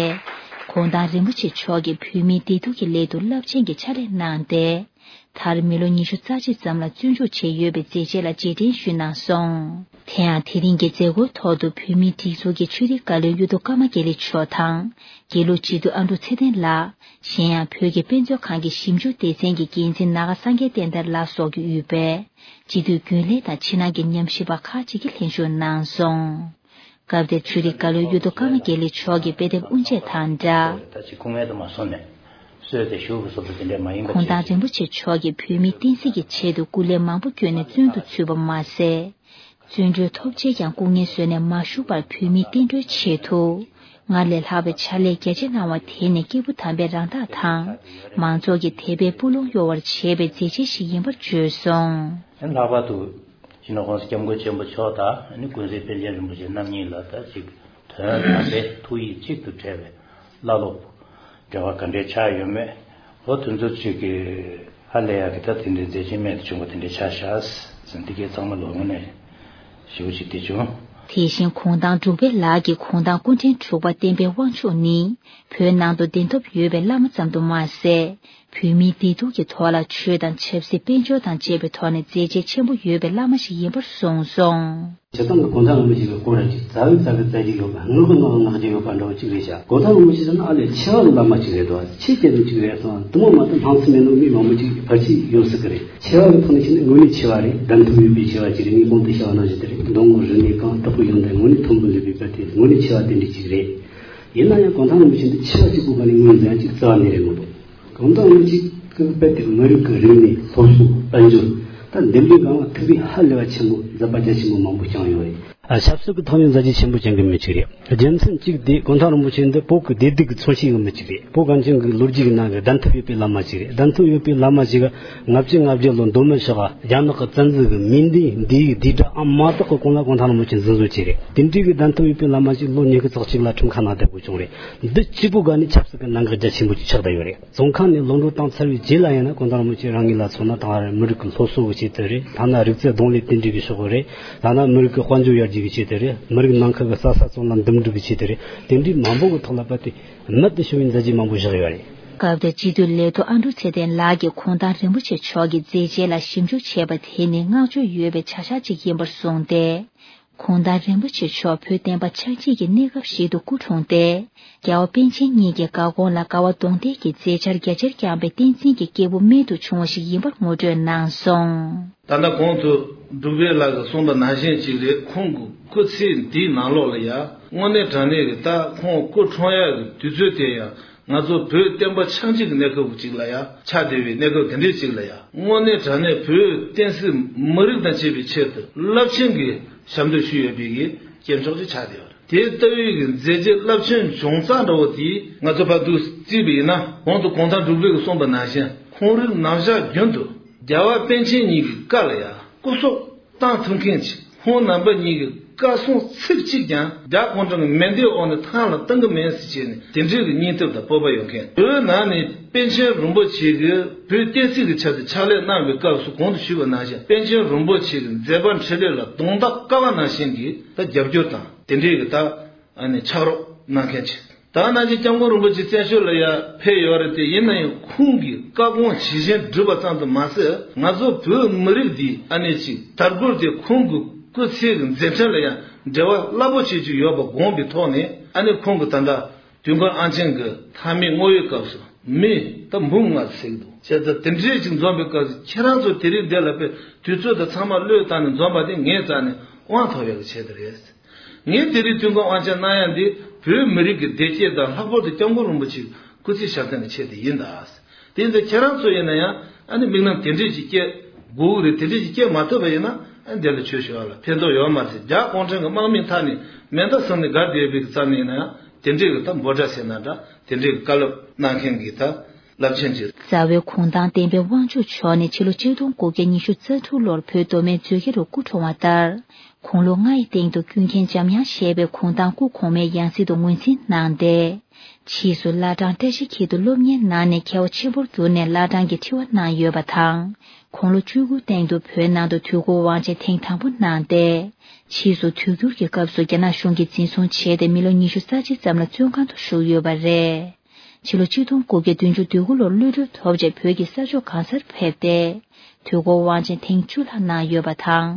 གུང་ཐང་རིན་པོ་ཆེ་མཆོག་གིས་བོད་མིའི་བདེ་སྡུག་གི་སླད་དུ་རླབས་ཆེན་གྱི་ཕྱག་ལས་གནང་སྟེ། མཐར་མི་ལོ་ཉི་ཤུ་རྩ་གཅིག་ཙམ་ལ་བཙོན་འཇུག་བྱས་ཡོད་པའི་མཛད་རྗེས་ལ་རྗེས་དྲན་ཞུས་གནང་སོང་། དེ་ཡང་དེ་རིང་གི་མཛད་སྒོའི་ཐོག་ཏུ་བོད་མིའི་སྒྲིག་འཛུགས་ཀྱི་ཆོས་རིག་བཀའ་བློན་གཡུ་ཐོག་ཀརྨ་དགེ་ལེགས་མཆོག་དང་། དགེ་ལུགས་སྤྱི་འཐུས་ཨ་འབྲུག་ཚེ་བརྟན་ལགས། གཞན་ཡང་བོད་ཀྱི་དཔེ་མཛོད་ཁང་གི་ཞིབ་འཇུག་སྡེ་ཚན་གྱི་འགན་འཛིན་ནཱ་ག་སངས་རྒྱས་བསྟན་དར་ལགས་སོགས་ཀྱིས་དབུས་པའི་སྤྱི་འཐུས་རྒྱུན་ལས་དང་ཕྱི་ནང་གི་ཉམས་ཞིབ་པ་ཁག་ཅིག་གིས་ལྷན་ཞུགས་གནང་སོང་། སྐབས་དེར་ཆོས་རིག་བཀའ་བློན་གཡུ་ཐོག་ཀརྨ་དགེ་ལེགས་མཆོག་གིས་དཔེ་དེབ་དབུ་འབྱེད་དང་སྦྲགས། ད་ཅིག་སྐུ་ངལ་དུ་མ་སོང་ནས་གསོལ་ཏེ་བཞུགས་པ་སོགས་པ་དེ་འདྲ་མ་ཡིན་པ་གོང་ཐང་ཅིག་རིན་པོ་ཆེ་མཆོག་གིས་བོད་མིའི་བསྟན་སྲིད་ཀྱི་ཆེད་དུ་སྐུ་ལས་མང་པོ་བསྐྱོན་ནས་བཙོན་དུ་ཚུད་པ་མ་ཟད། བཙོན་གྲོལ་ཐོབ་རྗེས་ཀྱང་སྐུ་ངལ་གསོས་ནས་མ་བཞུགས་པར་བོད་མིའི་བསྟན་འགྲོའི་ཆེད་དུ། སྔར་ལས་ལྷག་པའི་ཕྱག་ལས་རྒྱ་ཆེ་གནང་བ་དེ་ནི་སྐྱེས་བུ་དམ་པའི་རང་རྟགས་དང་། མང་ཚོགས་ཀྱི་དད་པའི་སྤུ་ལོང་གཡོ་བར་བྱེད་པའི་མཛད་རྗེས་ཤིག་ཡིན་པར་བརྗོད་སོང་། ལྷག་པར་དུ། སྤྱི་ནོར་༸གོང་ས་༸སྐྱབས་མགོན་ཆེན་པོ་མཆོག་དང་ནི་ཀུན་གཟིགས་པཎ་ཆེན་རིན་པོ་ཆེ་རྣམ་གཉིས་ལ་ད་ཅིག་དོན་དམ་པའི་ཐུགས་ཡིད་གཅིག་ཏུ་འབྲེལ་བའི་བླ་སློབ་འབྲེལ་བ་ག་འདྲའི་ཆགས་ཡོད་མེད། འོ་དེ་ཚོ་ཅིག་གི་ཧ་ལས་ཡག་གི་ད་དེ་འདྲའི་མཛད་རྗེས་རྨད་དུ་བྱུང་བ་དེ་འདྲའི་ཆགས་ཤག་ཟེར་འདི་གའི་ཚང་མ་ལོ་ངོ་ནས་ཞེ་པོ་ཅིག་བདེ་བྱུང་། དེ་བཞིན་གུང་ཐང་འབྲུག་པའི་ལག་གི་གུང་ཐང་སྐུ་ཕྲེང་དྲུག་པ་བསྟན་པའི་དབང་ཕྱུག་ནི། བོད་ནང་དུ་གདན་ཐོབ་ཡོད་པའི་བླ་མ་ཙམ་དུ་མ་ཟད། བོད་མིའི་བདེ་སྡུག་གི་ཐོག་ལ་ཆོས་དང་ཆབ་སྲིད་དཔལ་འབྱོར་དང་བཅས་པའི་ཐོག་ནས་མཛད་རྗེས་ཆེན་པོ་ཡོད་པའི་བླ་མ་ཞིག་ཡིན་པར་གསུངས་སོང་། སྤྱིར་བཏང་གི་གུང་ཐང་རིན་པོ་ཆེ་གི་སྐོར་ལ་ཅིག་རྩ་བའི་རྩ་བའི་རྩ་རྒྱུ་ཡོད་པ། ངག་གི་ངག་ངག་རྒྱུ་ཡོད་པ་འདྲ་བོ་ཅིག་རེད་ཤག་གུང་ཐང་རིན་པོ་ཆེ་ཟེར་ན་ཨ་ལས་ཆེ་བ་གི་བླ་མ་ཅིག་རེད་དོ། ཆེ་རྒྱ་ཅན་ཅིག་རེད་སོང་། དུ་མ་མ་གཏོགས་སྣང་ཚུལ་མེད་ནོ་མི་མང་པོ་ཅིག་ཕལ་ཆེར་ཡོད་སྲིད་གི་རེད། ཆེ་བ་གི་ཐོག་ནས་བཤད་ན་དངོས་གནས་ཆེ་བ་རེད། གདན་ཐོབ་ཡོད་པའི་ཆེ་བ་ཅིག་རེད། ངས་གོང་དུ་བཤད་པ་ནང་བཞིན་དེ་རེད། མདོ་སྔགས་རིག་གནས་གང་དག་པོ་ཡོང་དུས་དངོས་གནས་མཐོན་པོ་ལུས་པའི་དཔེ་དེ་དངོས་གནས་ཆེ་བ་དེ་འདྲ་ཅིག་རེད། ཡིན་ན་ཡང་གུང་ཐང་རིན་པོ་ཆེ་འདི་ཆེ་བ་གཅིག་པུ་ག་ནས་ངོས་འཛིན་ཡ་གཅིག་རྩ་བ་ནས་རེད་མི་འདུག་གུང་ཐང་རིན་པོ་ཆེ་གི་དཔེ་དེ་མི་རིགས་ཀྱི་རིག་གནས་སློབ་གསོ་དཔལ་འབྱོར་ད་འདེམས་སྒྲུག་སྒང་ལ་ཐུགས་ཕན་ཧ་ལས་པ་ཆེན་པོ་མཛད་པ་རྒྱ་ཆེན་པོ་མང་པོ་བསྐྱངས་ཡོད་རེད། ཨ། ཆབ་སྲིད་ཀྱི་ཐོག་ནས་མཛད་རྗེས་ཆེན་པོ་བསྐྱངས་མཁན་མི་གཅིག་རེད། རྒྱུ་མཚན་གཅིག་དེ་གུང་ཐང་རིན་པོ་ཆེ་འདི་བོད་ཀྱི་བདེ་སྡུག་གི་མཚོན་བྱེད་ཀྱི་མི་གཅིག་རེད། བོད་གངས་ཅན་གྱི་ལོ་རྒྱུས་ཀྱི་ནང་གི་གདན་ཐོབ་ཡོད་པའི་བླ་མ་གཅིག་རེད། གདན་ཐོབ་ཡོད་པའི་བླ་མ་གཅིག་ག་ལྔ་བཅུ་ང་བརྒྱད་ལོ་མདོ་སྨད་ཤོག་ག་རྒྱ་ནག་གི་བཙན་འཛུལ་གྱི་མིང་འདི་འདིའི་འདི་འདྲ་ཨ་མ་དག་གི་གོང་ལ་གུང་ཐང་རིན་པོ་ཆེ་འཛིན་བཟུང་བྱས་རེད། དེ་འདྲའི་གི་གདན་ཐོབ་ཡོད་པའི་བླ་མ་གཅིག་ལོ་ཉི་ཤུ་རྩ་གཅིག་ལ་ཁྲིམས་ཁང་ནང་བསྡད་དགོས་བྱུང་རེད། འདི་གཅིག་པུ་ག་ནས་ཆབ་སྲིད་ཀྱི་གནད་འགག་རྒྱ་ཆེན་པོ་ཅིག་ཆགས་བསྡད་ཡོད་རེད། བཙོན་ཁང་ནས་ལོག་འགྲོ་བཏང་ཚར་བའི་རྗེས་ལ་ཡིན་ན་གུང་ཐང་རིན་པོ་ཆེ་རང་ཉིད་ལ་མཚོན་ན་ད་མི་རིགས་ཀྱི་སློབ་གསོ་གི་ཆེད་དུ་རེད། ཐ་ན་རིག་རྩལ་གདོང་ལེན་དེ་འདྲའི་གི་ཕྱོགས་རེད། ཐ་ན་མི་རིགས་ཀྱི་དཔལ་འབྱོར་ཡར་རྒྱས་ཀྱི་ཆེད་དུ་རེད། མི་རིགས་ནང་ཁུལ་གྱི་ས་ས་བཙོན་ལ་འདུམ་འགྲིག་གི་ཆེད་དུ་རེད། དེ་འདྲའི་མང་པོ་གི་ཐོག་ལ་བབས་ཏེ་རྨད་དུ་བྱུང་བའི་མཛད་རྗེས་མང་པོ་བཞག་ཡོད་རེད། སྐབས་དེར་སྤྱི་འཐུས་ལས་ཐོག་ཨ་འབྲུག་ཚེ་བརྟན་ལགས་ཀྱིས་གུང་ཐང་རིན་པོ་ཆེ་མཆོག་གི་མཛད་རྗེས་ལ་ཞིབ་འཇུག་བྱས་པ་དེ་ནི་བསྔགས་བརྗོད་ཡོད་པའི་བྱ་གཞག་ཅིག་ཡིན་པར་གསུངས་ཏེ། གུང་ཐང་རིན་པོ་ཆེ་མཆོག་བོད་བསྟན་པ་ཆགས་འཇིག་གི་གནས་སྐབས་ཤིག་ཏུ་སྐུ་འཁྲུངས་ཏེ། རྒྱལ་བ་པཎ་ཆེན་གཉིས་ཀྱི་བཀའ་དགོངས་ལ་དགའ་བ་གདོང་གཏད་ཀྱིས་མཛད་འཆར་རྒྱ་ཆེར་བསྐྱངས་པའི་བསྟན་འཛིན་གྱི་སྐྱེས་བུ་རྨད་དུ་བྱུང་བ་ཞིག་ཡིན་པར་ངོ་སྤྲོད་གནང་སོང་། ད་ལྟ་གོང་དུ་འབྲུག་པའི་ལགས་ཀྱིས་གསུངས་པ་ནང་བཞིན་ཅིག་རེད། ཁོང་གི་སྐུ་ཚེ་འདིའི་ནང་ལོགས་ལ་ཡ་དངོས་གནས་དྲང་གནས་ཀྱི་ད་ཁོང་སྐུ་འཁྲུངས་ཡག་གི་དུས་ཚོད་དེ་ཡང་ང་ཚོ་བོད་བསྟན་པ་ཆགས་འཇིག་གི་གནས་སྐབས་ཅིག་ལ་ཡ་ཆགས་བསྡད་པའི་གནས་སྐབས་དེ་འདྲའི་ཅིག་ལ་ཡ་དངོས་གནས་དྲང་གནས་བོད་བསྟན་སྲིད་མི་རིགས་དང་བཅས་པའི་ཆེད་དུ་རླབས་ཆེན་གྱི་ཞབས་འདེགས་ཞུས་ཡོད་པའི་གི་སྐྱེས་མཆོག་ཅིག་ཆགས་བསྡད་ཡོད་རེད། དེ་ལྟ་བུའི་གི་མཛད་རྗེས་རླབས་ཆེན་བྱུང་རྩ་འདྲ་བོ་དེ་ང་ཚོ་ཕར་འདུག་བརྩིས་པ་ཡིན་ན་གོང་དུ་གུང་ཐང་འབྲུག་པའི་གི་གསུངས་པ་ནང་བཞིན་ཁོང་རིགས་རྣམ་གཞག་རྒྱུན་དུ་རྒྱལ་བ་པཎ་ཆེན་གཉིས་ཀྱི་བཀའ་ལ་ཡང་སྐུ་སྲོག་བཏང་ཐུབ་མཁན་ཅིག་ཁོང་རྣམ་པ་གཉིས་ཀྱི་བཀའ་གསུང་ཚིག་གཅིག་ཀྱང་རྒྱ་གུང་ཁྲན་གྱི་མེ་མདའི་འོག་ནས་ཐང་ལ་གཏོང་གི་མེད་ཟེར་བྱས་ནས་དེ་འདྲའི་གི་སྙིང་སྟོབས་དང་སྤོབས་པ་ཡོད་མཁན། བོད་ནང་ནས་པཎ་ཆེན་རིན་པོ་ཆེ་གིས་བོད་བསྟན་སྲིད་ཀྱི་ཆ་དེ་ཕྱག་ལས་གནང་བའི་སྐབས་སུ་གོང་དུ་ཞུས་པ་ནང་བཞིན་པཎ་ཆེན་རིན་པོ་ཆེ་གི་མཛད་པ་འཕྲིན་ལས་ལ་གདོང་ཐག་དཀར་བ་ནང་བཞིན་གྱི་ད་རྒྱབ་སྐྱོར་དང་དེ་འདྲའི་གི་ད་ཨ་ནི་ཕྱག་རོགས་གནང་མཁན་ཅིག་ད་ནང་བཞིན་སྐྱབས་མགོན་རིན་པོ་ཆེ་བཙན་བྱོལ་ལ་ཡ་ཕེབས་ཡོད་རེད་དེ། ཡིན་ན་ཡང་ཁོང་གི་བཀའ་དགོངས་ཇི་བཞིན་བསྒྲུབས་པ་ཙམ་དུ་མ་ཟད། ང་ཚོ་བོད་མི་རིགས་འདི་ཨ་ནེ་ཅིག་དར་རྒུད་དེ་ཁོང་གི་སྐུ་ཚེ་གི་མཛད་འཕྲིན་ལ་ཡང་འབྲེལ་བ་རླབས་པོ་ཆེ་ཅིག་ཡོད་པ་དགོངས་པའི་ཐོག་ནས། ཨ་ནེ་ཁོང་གི་ད་ལྟ་དུས་འཁོར་དབང་ཆེན་གྱི་མཐའ་མའི་བསྔོ་བའི་སྐབས་སུ་མི་ད་འབུམ་ལྔ་ཟེར་གྱི་འདུག་བྱས་ཙང་དེ་འདྲའི་ཅིག་འཛོམས་པའི་སྐབས་སུ་ཁྱེད་རང་ཚོ་དེ་རིང་འདི་ལ་ཕེབས་དུས་ཚོད་དང་ཚང་མ་བློས་བཏང་ནས་འཛོམས་པ་དེ་ངའི་རྩ་ནས་དབང་ཐོབ་ཡག་གི་ཆེད་དུ་རེད། ངས་དེ་རིང་དུས་འཁོར་དབང་ཆེན་གནང་ཡ་འདི་བོད་མི་རིགས་ཀྱི་བདེ་སྐྱིད་དང་། ལྷག་པར་དུ་སྐྱབས་མགོན་རིན་པོ་ཆེའི་སྐུ་ཚེ་ཞབས་བརྟན་གྱི་ཆེད་དུ་ཡིན་ད། དེ་ཡིན་ཙང་ཁྱེད་རང་ཚོ་ཡིན་ན་ཡང་ཨ་ནི་དམིགས་རྣམ་དེ་འདྲས་ཅིག་སྐྱེ་དགོས་ཀྱི་རེད། དེ་འདྲས་ཅིག་སྐྱེ་མ་ཐུབ་པ་ཡིན་ན་ཨ་ནི་འདི་ལ་ཆོས་ཞུ་བ་ལ་ཕན་ཐོགས་ཡོད་མ་རེད། རྒྱ་གུང་ཁྲན་གྱི་དམག་མིའི་མཐའ་ནས་མེ་མདའ་ཟིན་ནས་སྒར་བསྡད་པའི་རྩ་ནས་ཡིན་ན་ཡང་དེ་འདྲས་ཀྱི་ད་འབོད་སྒྲ་ཟེར་ན་འདྲ། དེ་འདྲས་ཀྱི་བཀའ་སློབ་གནང་མཁན་གྱི་ད་རླབས་ཆེན་གྱི། རྩ་བའི་གུང་ཐང་བསྟན་པའི་དབང་ཕྱུག་མཆོག་ནི་ཕྱི་ལོ་ཆིག་སྟོང་དགུ་བརྒྱ་ཉི་ཤུ་རྩ་དྲུག་ལོར་བོད་མདོ་སྨད་མཛོད་དགེ་རུ་སྐུ་འཁྲུངས་པ་ལྟར། དགུང་ལོ་ལྔ་ཡི་སྟེང་དུ་ཀུན་མཁྱེན་འཇམ་དབྱངས་བཞད་པའི་གུང་ཐང་སྐུ་གོང་མའི་ཡང་སྲིད་དུ་ངོས་འཛིན་གནང་སྟེ། ཕྱིས་སུ་བླ་བྲང་བཀྲ་ཤིས་འཁྱིལ་དུ་སློབ་གཉེར་གནང་ནས་མཁས་པ་ཆེན་པོར་གྱུར་ནས་བླ་བྲང་གི་ཁྲི་དབང་གནང་ཡོད་པ་དང་། དགུང་ལོ་བཅུ་དགུའི་སྟེང་དུ་བོད་ནང་དུ་དུས་འཁོར་དབང་ཆེན་ཐེངས་དང་པོ་གནང་སྟེ། ཕྱིས་སུ་དུས་འགྱུར་གྱི་སྐབས་སུ་རྒྱ་ནག་གཞུང་གིས་འཛིན་བཟུང་བྱས་ཏེ་མི་ལོ་ཉི་ཤུ་རྩ་གཅིག་ཙམ་ལ་བཙོན་ཁང་དུ་བཞུགས་ཡོད་པ་རེད། ཕྱི་ལོ་ཆིག་སྟོང་དགུ་བརྒྱ་བདུན་ཅུ་དོན་དགུ་ལོར་གློད་གྲོལ་ཐོབ་རྗེས་བོད་ཀྱི་ས་ཕྱོགས་གང་སར་ཕེབས་ཏེ། དུས་འཁོར་དབང་ཆེན་ཐེངས་བཅུ་ལྷག་གནང་ཡོད་པ་དང་།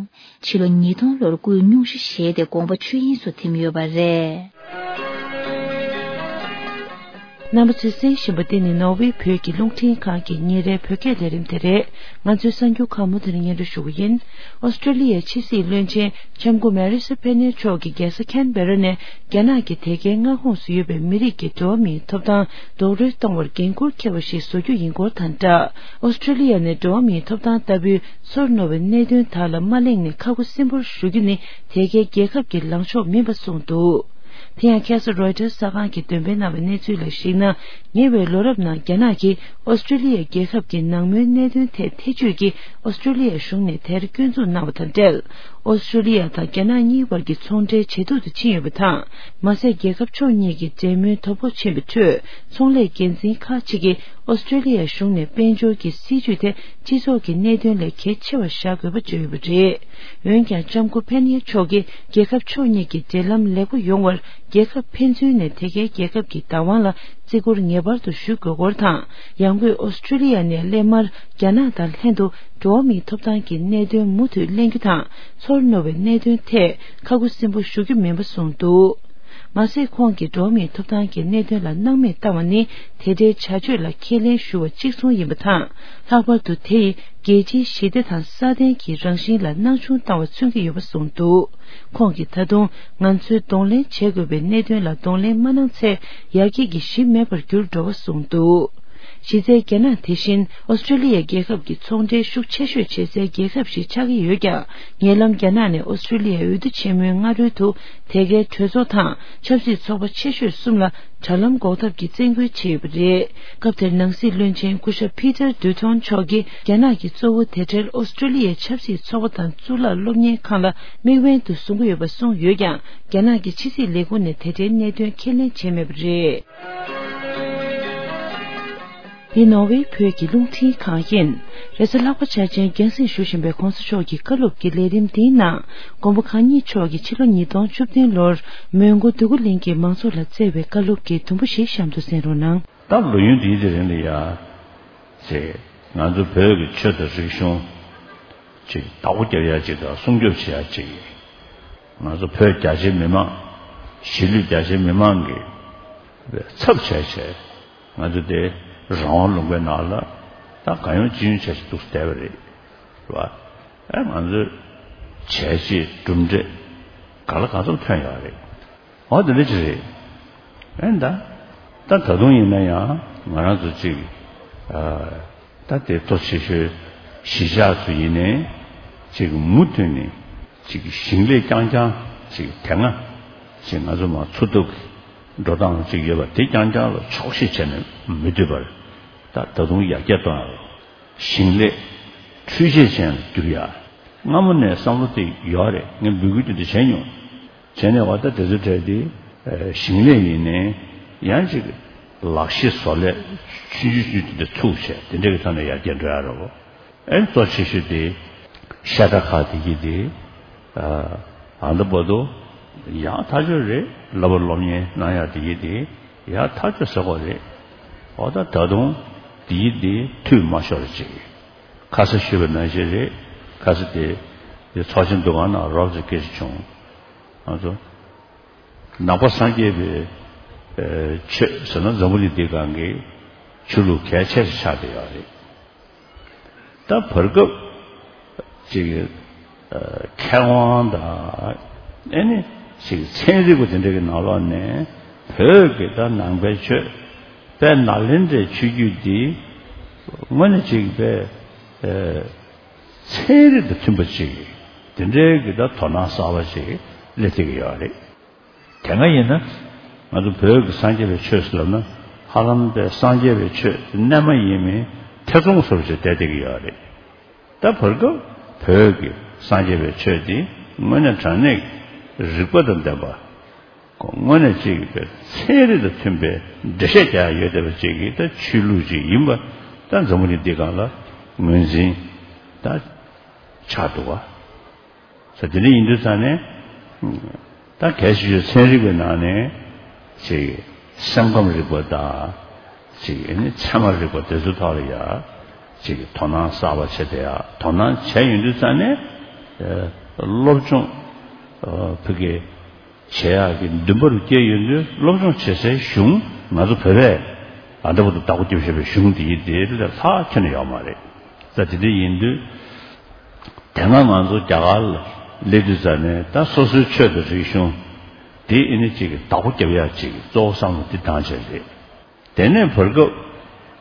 ཕྱི་ལོ་ཉིས་སྟོང་ལོར་སྐུའི་སྙུང་གཞི་བཞེས་ཏེ་དགོངས་པ་ཆོས་དབྱིངས་སུ་ཐིམ་ཡོད་པ་རེད། རྣམ་པ་ཚོས་གསན་བཞིན་པ་འདི་ནི་ནོར་ཝེ་བོད་ཀྱི་རླུང་འཕྲིན་ཁང་གི་ཉིན་རེའི་བོད་སྐད་ལས་རིམ་དེ་རེད། ང་ཚོའི་གསར་འགྱུར་ཁག་མུ་མཐུད་ནས་སྙན་སྒྲོན་ཞུ་གི་ཡིན། ཨོ་སི་ཀྲོ་ལི་ཡའི་ཕྱི་སྲིད་བློན་ཆེན་ལྕམ་སྐུ་མེ་རི་སི་ཕེ་ནེ་མཆོག་གིས་རྒྱལ་ས་ཁན་བེ་ར་ནས་རྒྱ་ནག་གི་དེ་གའི་མངའ་ཁོངས་སུ་ཡོད་པའི་མི་རིགས་ཀྱི་འགྲོ་བ་མིའི་ཐོབ་ཐང་རྡོག་རོལ་གཏོང་བར་འགན་འཁུར་འཁྱེར་བ་ཞིག་བཟོ་རྒྱུ་ཡིན་སྐོར་དང་སྦྲགས། ཨོ་སི་ཀྲོ་ལི་ཡ་ནས་འགྲོ་བ་མིའི་ཐོབ་ཐང་ལྟ་བུའི་ཚོར་རྣོ་བའི་གནད་དོན་དག་ལ་མ་གླེང་ནས་ཁ་ཁུ་སིམ་པོར་བཞུགས་རྒྱུ་ནི་དེ་གའི་རྒྱལ་ཁབ་ཀྱི་ལངས་ཕྱོགས་མིན་པ་གསུངས་འདུག་དེ་ཡང་ཁ་སང་རོའི་ཊར་གསར་ཁང་གིས་འདོན་སྤེལ་གནང་བའི་གནས་ཚུལ་ལ་གཞིགས་ན། ཉེ་བའི་ལོ་རབས་ནང་རྒྱ་ནག་གིས་ཨོ་སི་ཀྲོ་ལི་ཡ་རྒྱལ་ཁབ་ཀྱི་ནང་མོལ་གནད་དོན་ཐད་ཐེ་བྱུས་ཀྱིས་ཨོ་སི་ཀྲོ་ལི་ཡ་གཞུང་ནས་དེར་སྐྱོན་འཛུགས་གནང་བ་དང་འབྲེལ། ཨོ་སི་ཀྲོ་ལི་ཡ་དང་རྒྱ་ནག་གཉིས་བར་གྱི་ཚོང་འབྲེལ་ཇེ་སྡུག་ཏུ་ཕྱིན་ཡོད་པ་དང་། མ་ཟད། རྒྱལ་ཁབ་ཕྱོགས་གཉིས་ཀྱི་འབྲེལ་མོལ་དོ་ཕོག་ཕྱིན་པའི་ཁྲོད། ཚོང་ལས་འགན་འཛིན་ཁག་ཅིག་གིས་ཨོ་སི་ཀྲོ་ལི་ཡ་གཞུང་ནས་དཔལ་འབྱོར་གྱི་སྲིད་ཇུས་དེ་སྤྱི་ཚོགས་ཀྱི་གནད་དོན་ལས་གལ་ཆེ་བར་བཞག་དགོས་པ་བརྗོད་ཡོད་པ་རེད། འོན་ཀྱང་། ལྕམ་སྐུ་ཕེ་ནེ་མཆོག་གིས་རྒྱལ་ཁབ་ཕྱོགས་གཉིས་ཀྱི་འབྲེལ་ལམ་ལེགས་པོ་ཡོང་བར། རྒྱལ་ཁབ་ཕན་ཚུན་ནས་དེ་གའི་རྒྱལ་ཁབ་ཀྱི་བདག་དབང་ལ་བརྩི་བཀུར་ངེས་པར་དུ་ཞུ་དགོས་སྐོར་དང་། ཡང་སྒོས་ཨོ་སི་ཀྲོ་ལི་ཡ་ནས་སླད་མར་རྒྱ་ནག་དང་ལྷན་དུ་འགྲོ་བ་མིའི་ཐོབ་ཐང་གི་གནད་དོན་མུ་མཐུད་གླེང་རྒྱུ་དང་། ཚོར་རྣོ་བའི་གནད་དོན་ཐད་ཁ་ཁུ་སིམ་པོ་ཞུ་རྒྱུ་མིན་པ་གསུངས་འདུག་མ་ཟད། ཁོང་གིས་འགྲོ་བ་མིའི་ཐོབ་ཐང་གི་གནད་དོན་ལ་སྣང་མེད་བཏང་བ་ནི་དེ་འདྲའི་བྱ་སྤྱོད་ལ་ཁས་ལེན་ཞུ་བ་གཅིག་མཚུངས་ཡིན་པ་དང་། ལྷག་པར་དུ་དེ་ཡིས་རྒྱལ་སྤྱིའི་ཞི་བདེ་དང་སྲ་བརྟན་གྱི་རང་བཞིན་ལ་སྣང་ཆུང་བཏང་བ་མཚོན་གྱི་ཡོད་པ་གསུངས་འདུག་ཁོང་གིས་ད་དུང་ང་ཚོས་གདོང་ལེན་བྱེད་དགོས་པའི་གནད་དོན་ལ་གདོང་ལེན་མ་གནང་ཚེ། ཡར་རྒྱས་ཀྱི་གཞི་མེད་པར་འགྱུར་འགྲོ་བ་གསུངས་འདུག་གཞི་རྩའི་རྒྱ་ནག་དེ་བཞིན་ཨོ་སི་ཀྲོ་ལི་ཡ་རྒྱལ་ཁབ་ཀྱི་ཚོང་འབྲེལ་ཤུགས་ཆེ་ཤོས་བྱེད་སའི་རྒྱལ་ཁབ་ཞིག་ཆགས་ཀྱི་ཡོད་ཀྱང་། ཉེ་ལམ་རྒྱ་ནག་ནས་ཨོ་སི་ཀྲོ་ལི་ཡའི་འོས་བསྡུ་ཆེན་མོའི་སྔ་རོལ་དུ་དེ་གའི་གྲོས་ཚོགས་དང་ཆབ་སྲིད་ཚོགས་པ་ཆེ་ཤོས་གསུམ་ལ་དྲ་ལམ་འགོག་ཐབས་ཀྱི་བཙན་སྐུལ་བྱས་ཡོད་པ་རེད། སྐབས་དེར་ནང་སྲིད་བློན་ཆེན་སྐུ་ཞབས་Peter Dutton མཆོག་གིས་རྒྱ་ནག་གིས་གཙོ་བོ་དེ་འབྲེལ་ཨོ་སི་ཀྲོ་ལི་ཡའི་ཆབ་སྲིད་ཚོགས་པ་དང་གཙུག་ལག་སློབ་གཉེར་ཁང་ལ་དམིགས་འབེན་དུ་བཟུང་གི་ཡོད་པ་གསུངས་ཡོད་ཀྱང་། རྒྱ་ནག་གི་ཕྱི་སྲིད་ལས་ཁུངས་ནས་དེ་འབྲེལ་གནད་དོན་ཁས་ལེན་བྱས་མེད་པ་རེད། འདི་ནོར་ཝེ་བོད་ཀྱི་རླུང་འཕྲིན་ཁང་ཡིན། རེས་གཟའ་ལྷག་པ་འཆར་ཅན་རྒྱང་སྲིང་ཞུ་བཞིན་པའི་༧གོང་ས་མཆོག་གི་བཀའ་སློབ་ཀྱི་ལས་རིམ་འདིའི་ནང་། མགོན་པོ་གང་ཉིད་མཆོག་གིས་ཕྱི་ལོ་ཉིས་སྟོང་བཅུ་བདུན་ལོར་མོན་གྷོ་འདོད་རྒུ་གླིང་གི་མང་ཚོགས་ལ་བསྩལ་བའི་བཀའ་སློབ་ཀྱི་དུམ་བུ་ཞིག་གཤམ་དུ་གསན་རོགས་གནང་། ད་ལོ་ཡུན་འདིའི་དེ་རིང་ལ་ཡ། ཅེས་ང་ཚོ་བོད་ཀྱི་ཆོས་དང་རིག་གཞུང་། ཅིག་བདག་པོ་རྒྱབ་ཡ་ཅིག་དང་སྲུང་སྐྱོབ་བྱེད་ཡ་ཅིག་ང་ཚོ་བོད་རྒྱ་ཆེའི་མི་མང་། གཞིས་ལུས་རྒྱ་ཆེའི་མི་མང་གི་ཚབ་བྱས་བྱས་ང་ཚོ་དེ་རང་དབང་ལུང་པའི་ནང་ལ་ད་གང་ཡོང་ཅི་ཡོང་བྱས་བྱས་འདུག་བསྡད་པ་རེད། རེད་བ། ཨ་ང་ཚོ་བྱས་རྗེས་གྲུབ་འབྲས་ག་ལ་ག་ཚོད་ཐོན་ཡོད་རེད། འོ་དེ་འདྲ་ཅིག་རེད། ཨེ་ད། ད་ད་དུང་ཡིན་ན་ཡང་ང་རང་ཚོ་ཅིག་ཨ། ད་དེ་གཙོ་ཆེ་ཤོས་གཞིས་ཆགས་ཚོ་ཡིན་ནའི་ཅིག་མུ་མཐུད་ནས་ཅིག་ཞིང་ལས་རྐྱང་རྐྱང་ཅིག་དེ་སྔ་ཅིག་ང་ཚོ་མ་འཚོ་ཐུབ་ཀྱི་འགྲོ་སྟངས་ཅིག་ཡོད་པ་དེ་རྐྱང་རྐྱང་ལ་ཆོག་ཤེས་བྱས་ནས་མི་སྡོད་པར་ད་ད་དུང་ཡར་རྒྱས་གཏོང་ཡ་རོགས། ཞིང་ལས་འཕྲུལ་ཆས་ཅན་ལ་བསྒྱུར་ཡ། སྔ་མོ་ནས་བསམ་བློ་དེ་ཡོད་རེད། ངས་འབོད་སྐུལ་དེ་འདྲ་བྱས་མྱོང་། བྱས་ནས་འོ་ད་དེ་ཚོ་གྲས་དེ་ཞིང་ལས་ཡིན་ནའི་ཡང་ཅིག་ལག་ཤེས་བཟོ་ལས་ཆུང་ཆུང་ཆུང་དེ་འདྲ་ཚུགས་བྱས་དེ་འདྲ་གི་ཐོག་ནས་ཡར་རྒྱས་འགྲོ་ཡ་རེད་བོ། ཨེ་གཙོ་ཆེ་ཤོས་དེ་ཤ་ཁྲག་ཁག་དེ་གི་དེ་ཨ་ད་བར་དུ་ཡང་ཐག་ཆོད་རེད། ལབ་པ་སློབ་གཉེར་གནང་ཡ་དེ་གི་དེ་ཡང་ཐག་ཆོད་ཟེར་གོ་རེད། འོ་ད་ད་དུང་དེ་གི་དེ་འཐུས་མ་ཤོར་ཅིག་ཁ་ས་ཞུས་པ་ནང་བཞིན་རེད། ཁ་ས་དེ་དེ་ཚོགས་ཆེན་འདུ་ཁང་ནང་རོབ་ཙམ་སྐད་ཆ་བྱུང་། ང་ཚོ་ནང་པ་སངས་རྒྱས་པའི་ཆོས་ཟེར་ན་འཛམ་བུ་གླིང་འདི་སྒང་གི་ཆོས་ལུགས་གལ་ཆེ་ཤོས་ཆགས་བསྡད་ཡོད་རེད། ད་བར་སྐབས་ཅིག་མཁས་དབང་དང་ཨེ་ནི་ཅིག་ཚན་རིག་པ་དེ་འདྲ་གི་ནང་ལོགས་ནས་བོད་ཀྱི་ད་ནང་པའི་ཆོས་དཔལ་ནཱ་ལེནྡྲའི་ཆོས་བརྒྱུད་འདི་དངོས་གནས་ཅིག་དཔེ་ཚན་རིག་དང་མཐུན་པ་ཅིག་དེ་འདྲའི་གི་ད་དོ་སྣང་གསར་པ་ཅིག་སླེབས་བསྡད་ཀྱི་ཡོད་རེད། དེ་སྔ་ཡིན་ན་ང་ཚོ་བོད་ཀྱི་སངས་རྒྱས་པའི་ཆོས་ཟེར་ལབ་ན་ཧ་ལམ་པའི་སངས་རྒྱས་པའི་ཆོས་རྣལ་མ་ཡིན་མིན་ཐེ་ཚོམ་བཟོ་འདྲ་ཅིག་བསྡད་བསྡད་ཀྱི་ཡོད་རེད། ད་བར་སྐབས་བོད་ཀྱི་སངས་རྒྱས་པའི་ཆོས་འདི་དངོས་གནས་དྲང་གནས་ཀྱི་རིགས་པ་དང་ལྡན་པ། དངོས་གནས་གཅིག་པའི་ཚན་རིག་དང་མཐུན་པའི་འགྲེལ་བཤད་རྒྱག་ཡ་ཡོད་བསྡད་པ་ཅིག་གི་ད་ཆོས་ལུགས་ཅིག་ཡིན་པ་ད་འཛམ་བུ་གླིང་འདི་སྒང་ལ་ངོས་འཛིན་ད་ཆགས་འདུག་བ། ས་དེ་འདྲ་ཡིན་དུས་ཙང་ནས་ད་གལ་ཆེ་ཤོས་ཚན་རིག་པའི་ནང་ནས་ཅིག་སེམས་ཁམས་རིག་པ་དང་ཅིག་ཨ་ནི་ཚད་མ་རིག་པ་དེ་ཚོའི་ཐོག་ལ་ཡ་ཅིག་དོ་སྣང་གསར་པ་བྱས་ཏེ་ཡ་དོ་སྣང་བྱས་ཡོང་དུས་ཙང་ནས་སློབ་སྦྱོང་ཕ་གི་བྱེད་ཡག་གི་འདུན་པ་རུ་སྐྱེས་ཡོད་དུས་སློབ་སྦྱོང་བྱེད་སའི་གཞུང་ང་ཚོ་བོད་པས་ ད་ལྟ་བར་དུ་བདག་པོ་རྒྱབ་བཞག་པའི་གཞུང་འདི་ཡིན་དེ་ལས་ལྷག་ཁྱོན་ནས་ཡོད་མ་རེད། ད་དེ་འདྲ་ཡིན་དུས། དེ་སྔ་ང་ཚོ་རྒྱ་གར་ལ་སླེབས་དུས་ཙ་ནས་ད་སོ་སོའི་ཆོས་དང་རིག་གཞུང་དེ་ཨེ་ནི་ཅིག་བདག་པོ་རྒྱབ་ཡག་ཅིག་གཙོ་བོ་བསམ་བློ་འདི་བཏང་བྱས་རེད། དེ་ནས་བར་སྐབས་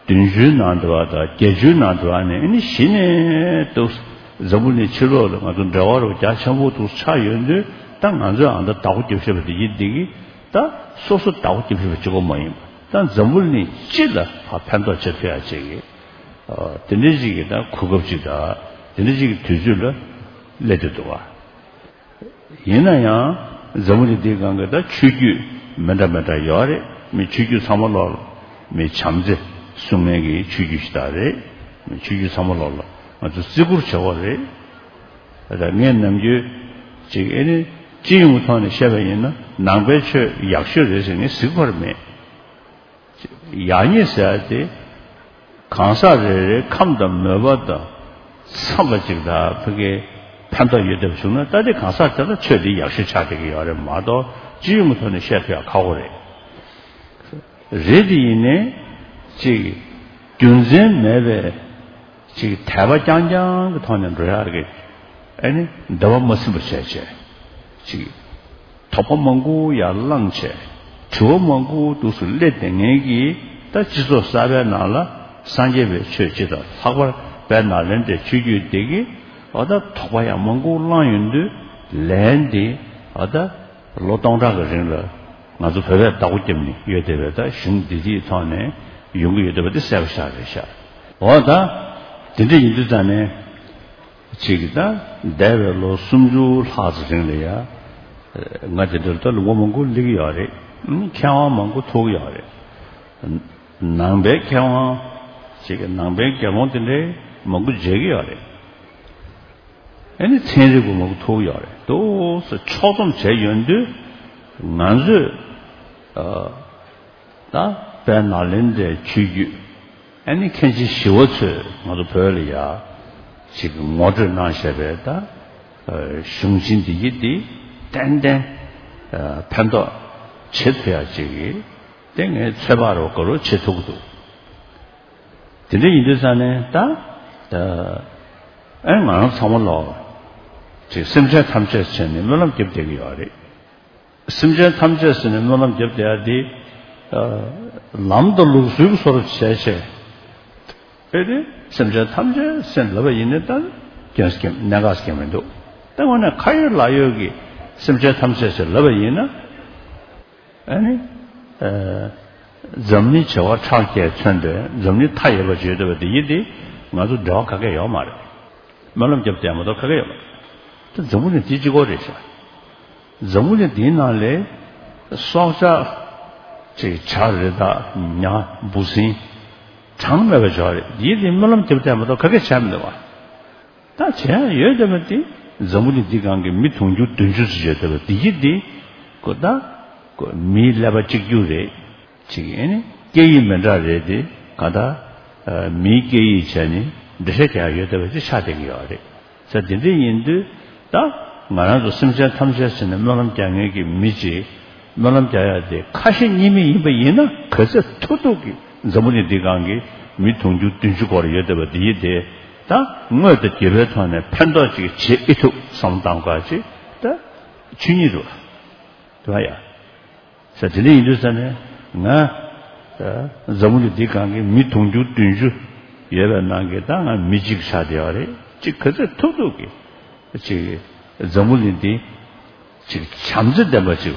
བདུན་ཅུའི་ནང་དུ་བ་དང་བརྒྱད་ཅུའི་ནང་དུ་བ་ནས་ཨེ་ནི་གཞི་ནས་འདུག་འཛམ་བུ་གླིང་ཕྱི་ལོགས་ལ་ང་ཚོ་འབྲེལ་བ་རུ་རྒྱ་ཆེན་པོ་འདུག་ཆགས་ཡོད་དུས། ད་ང་ཚོས་ཨ་ད་བདག་པོ་རྒྱབ་བཞག་པ་དེ་ཡིན་འདི་གི་ད་སོ་སོ་བདག་པོ་རྒྱབ་བཞག་པ་གཅིག་པོ་མ་ཡིན་པ། ད་འཛམ་བུ་གླིང་སྤྱི་ལ་ཕར་ཕན་ཐོགས་བྱེད་ཐུབ་ཡག་ཅིག་གི་དེ་འདྲའི་ཅིག་གི་ད་གོ་སྐབས་ཅིག་དང་དེ་འདྲའི་ཅིག་གི་དུས་ཚོད་ལ་སླེབས་བསྡད་འདུག་བ། ཡིན་ན་ཡང་འཛམ་བུ་གླིང་འདིའི་སྒང་གི་ད་ཆོས་བརྒྱུད་མི་འདྲ་མི་འདྲ་ཡོད་རེད། མི་ཆོས་བརྒྱུད་ཚང་མ་ལོག་ལ་མི་བྱམས་བརྩེ་སྲུང་མཁན་གྱི་ཆོས་བརྒྱུད་ཞིག་ད་རེད། མི་ཆོས་བརྒྱུད་ཚང་མ་ལོག་ལ་ང་ཚོ་བརྩི་བཀུར་བྱེད་དགོས་རེད། ད་ངས་ནམ་རྒྱུན་ཅིག་ཨེ་ནི་སྤྱི་ཡོངས་ཐོག་ནས་བཤད་པ་ཡིན་ན་ནང་པའི་ཆོས་ཡག་ཤོས་རེད་ཟེར་ངས་ཟེར་གྱི་ཡོད་མ་རེད། ཡག་ཉེས་ཟེར་ཡ་དེ་གང་ཟག་རེ་རེའི་ཁམས་དང་མོས་པ་དང་འཚམས་པ་ཅིག་ད་ཕ་གིའི་ཕན་ཐོགས་ཡོད་བསྡད་པ་བྱུང་ན། ད་དེ་གང་ཟག་དེ་ལ་ཆོས་དེ་ཡག་ཤོས་ཆགས་བསྡད་ཀྱི་ཡོད་རེད་མ་གཏོགས་སྤྱི་ཡོངས་ཀྱི་ཐོག་ནས་བཤད་ཐུབ་ཡག་ཁག་པོ་རེད། རེད་དེ་ཡིན་ནའི་ཅིག་རྒྱུ་མཚན་མེད་པའི་ཅིག་དད་པ་རྐྱང་རྐྱང་གི་ཐོག་ནས་འགྲོ་ཡག་གི་ཨེ་ནི་འདོད་པ་མ་ཚིམ་པ་བྱས་བྱས་ཅིག་དོགས་པ་མང་པོ་ཡར་བསླངས་བྱས། དྲི་བ་མང་པོ་འདུག་སེ་སླེབས་བསྡད་མཁན་གྱི་ད་སྤྱི་ཚོགས་གསར་པའི་ནང་ལ་སངས་རྒྱས་པའི་ཆོས་སྤྱི་དང་ལྷག་པར་དཔལ་ནཱ་ལེནྡྲའི་ཆོས་བརྒྱུད་འདི་གི་ཨ་ད་དོགས་པ་ཡང་མང་པོ་བསླངས་ཡོང་དུས། ལན་འདི་ཨ་ད་ལོ་སྟོང་ཕྲག་གི་རིང་ལ་ང་ཚོ་བོད་པས་བདག་པོ་བརྒྱབ་ནས་ཡོད་བསྡད་པའི་ད་གཞུང་འདི་དེའི་ཐོག་ནས་ཡོང་གི་ཡོད་བསྡད་པ་འདི་གསལ་པོ་ཤར་རེད་ཤག་འོ་ད་དེ་འདྲ་ཡིན་དུས་ཙང་ནས། ཅིག་ད་འདས་པའི་ལོ་སུམ་ཅུ་ལྷག་ཙམ་རིང་ལ་ཡ། ང་དེ་འདྲ་ད་ལུང་པ་མང་པོ་སླེབས་ཀྱི་ཡོད་རེད། མཁས་དབང་མང་པོ་ཐུག་གི་ཡོད་རེད། ནང་པའི་མཁས་དབང་ཅིག་ནང་པའི་དགེ་སློང་དེ་འདྲའི་མང་པོ་མཇལ་གྱི་ཡོད་རེད། ཨ་ནི་ཚན་རིག་པ་མང་པོ་ཐུག་གི་ཡོད་རེད། འདུག་སེ་ཕྱོགས་བསྡོམས་བྱས་ཡོང་དུས་ང་ཚོས། ད་དཔལ་ནཱ་ལེནྡྲའི་ཆོས་བརྒྱུད། ཨ་ནི་མཁན་ཆེན་ཞི་བ་འཚོས་ང་ཚོ་བོད་ལ་ཡ་ཅིག་ངོ་སྤྲོད་གནང་བཞག་པའི་ད་གཞུང་ཆེན་འདི་ཡིན་འདི་ཏན་ཏན་ཕན་ཐོགས་བྱེད་ཐུབ་ཡག་ཅིག་གི་དེ་ངས་ཚོད་དཔག་རོགས་དགའ་རོགས་བྱེད་ཐུབ་ཀྱི་འདུག་དེ་འདྲ་ཡིན་དུས་ཙང་ནས་ད་ཨ་ང་རང་ཚང་མ་ལོག་ཅིག་སེམས་ཅན་ཐམས་ཅད་བྱས་ནས་སྨོན་ལམ་རྒྱབ་བསྡད་ཀྱི་ཡོད་རེད། སེམས་ཅན་ཐམས་ཅད་ཟེར་ནས་སྨོན་ལམ་རྒྱབ་བསྡད་ཡ་དེ། ལམ་དང་ལུགས་སྲོལ་གྱི་བཟོ་འདྲ་བྱས་བྱས། ཨེ་རེད། སེམས་ཅན་ཐམས་ཅད་ཟེར་ལབ་པ་ཡིན་ན་ད་སྐྱོན་སྐྱོན་གནད་འགག་སྐྱོན་མི་འདུག་ད་དངོས་གནས་ཁ་ཡོད་ལག་ཡོད་ཀྱི་སེམས་ཅན་ཐམས་ཅད་ཟེར་ལབ་པ་ཡིན་ན། ཨ་ནི། འཛམ་གླིང་བྱེ་བ་ཕྲག་བརྒྱས་མཚོན་པའི་འཛམ་གླིང་མཐའ་ཡས་པ་བརྗོད་བསྡད་པ་དེ་ཡིན་ཏེ། ང་ཚོ་འབྲེལ་བ་ག་གེ་ཡོད་མ་རེད། སྨོན་ལམ་རྒྱབ་བསྡད་མ་གཏོགས་ག་གེ་ཡོད་མ་རེད། ད་འཛམ་བུ་གླིང་འདི་གཅིག་པོ་རེད་ཤག་འཛམ་བུ་གླིང་འདིའི་ནང་ལས་སྲོག་ཆགས་ཅིག་བྱ་རི་དྭགས་ཉ་འབུ་སྲིན་གྲངས་མེད་པ་ཡོད་རེད། འདིའི་དེ་སྨོན་ལམ་རྒྱབ་བསྡད་མ་གཏོགས་ག་གེ་བྱས་མི་འདུག་བ། ད་བྱས་ཡོད་བསྡད་པ་དེ་འཛམ་བུ་གླིང་འདི་སྒང་གི་མི་དུང་ཕྱུར་བདུན་ཅུ་ཙམ་ཡོད་བསྡད་པ་དེ་ཡིན་ཏེ། ཁོ་ད་ཁོ་མིའི་ཀླད་པ་གཅིག་གྱུར་རེད། ཅིག་ཨེ་ནི་སྐད་ཡིག་མི་འདྲ་རེད་དེ། གང་ལྟར་མིའི་སྐད་ཡིག་བྱས་ནས་འགྲེལ་བཤད་རྒྱག་ཡ་ཡོད་བསྡད་པ་ཅིག་ཆགས་བསྡད་ཀྱི་ཡོད་རེད། ས་དེ་འདྲ་ཡིན་དུས་ད་ང་རང་ཚོ་སེམས་ཅན་ཐམས་ཅད་ཟེར་ནས་སྨོན་ལམ་རྒྱག་མཁན་གྱི་མི་ཅིག་སྨོན་ལམ་རྒྱག་ཡ་དེ་ཁ་ཞེ་གཉིས་མེད་ཡིན་པ་ཡིན་ན། ག་ཚོད་ཐུབ་ཐུབ་ཀྱིས་འཛམ་བུ་གླིང་འདི་སྒང་གི་མི་དུང་ཕྱུར་བདུན་ཅུ་སྐོར་ཡོད་བསྡད་པ་འདི་ཡིན་ཏེ། ད་དངོས་དང་བརྒྱུད་པའི་ཐོག་ནས་ཕན་ཐོགས་ཅིག་བྱེད་ཨེ་ཐུབ་བསམ་བློ་བཏང་དགོས་ཅིག་ད་ཆོས་ཉིད་རེད་བ། དེ་བ་ཡ། ས་དེ་འདྲ་ཡིན་དུས་ས་ནས་ང་འཛམ་བུ་གླིང་འདི་སྒང་གི་མི་དུང་ཕྱུར་བདུན་ཅུ་ཡོད་པའི་ནང་གི་ད་ང་མི་གཅིག་ཆགས་བསྡད་ཡོད་རེད། ཅིག་ག་ཚོད་ཐུབ་ཐུབ་ཀྱིས་ཅིག་འཛམ་བུ་གླིང་འདི་ཅིག་བྱམས་བརྩེ་ལྡན་པ་ཅིག་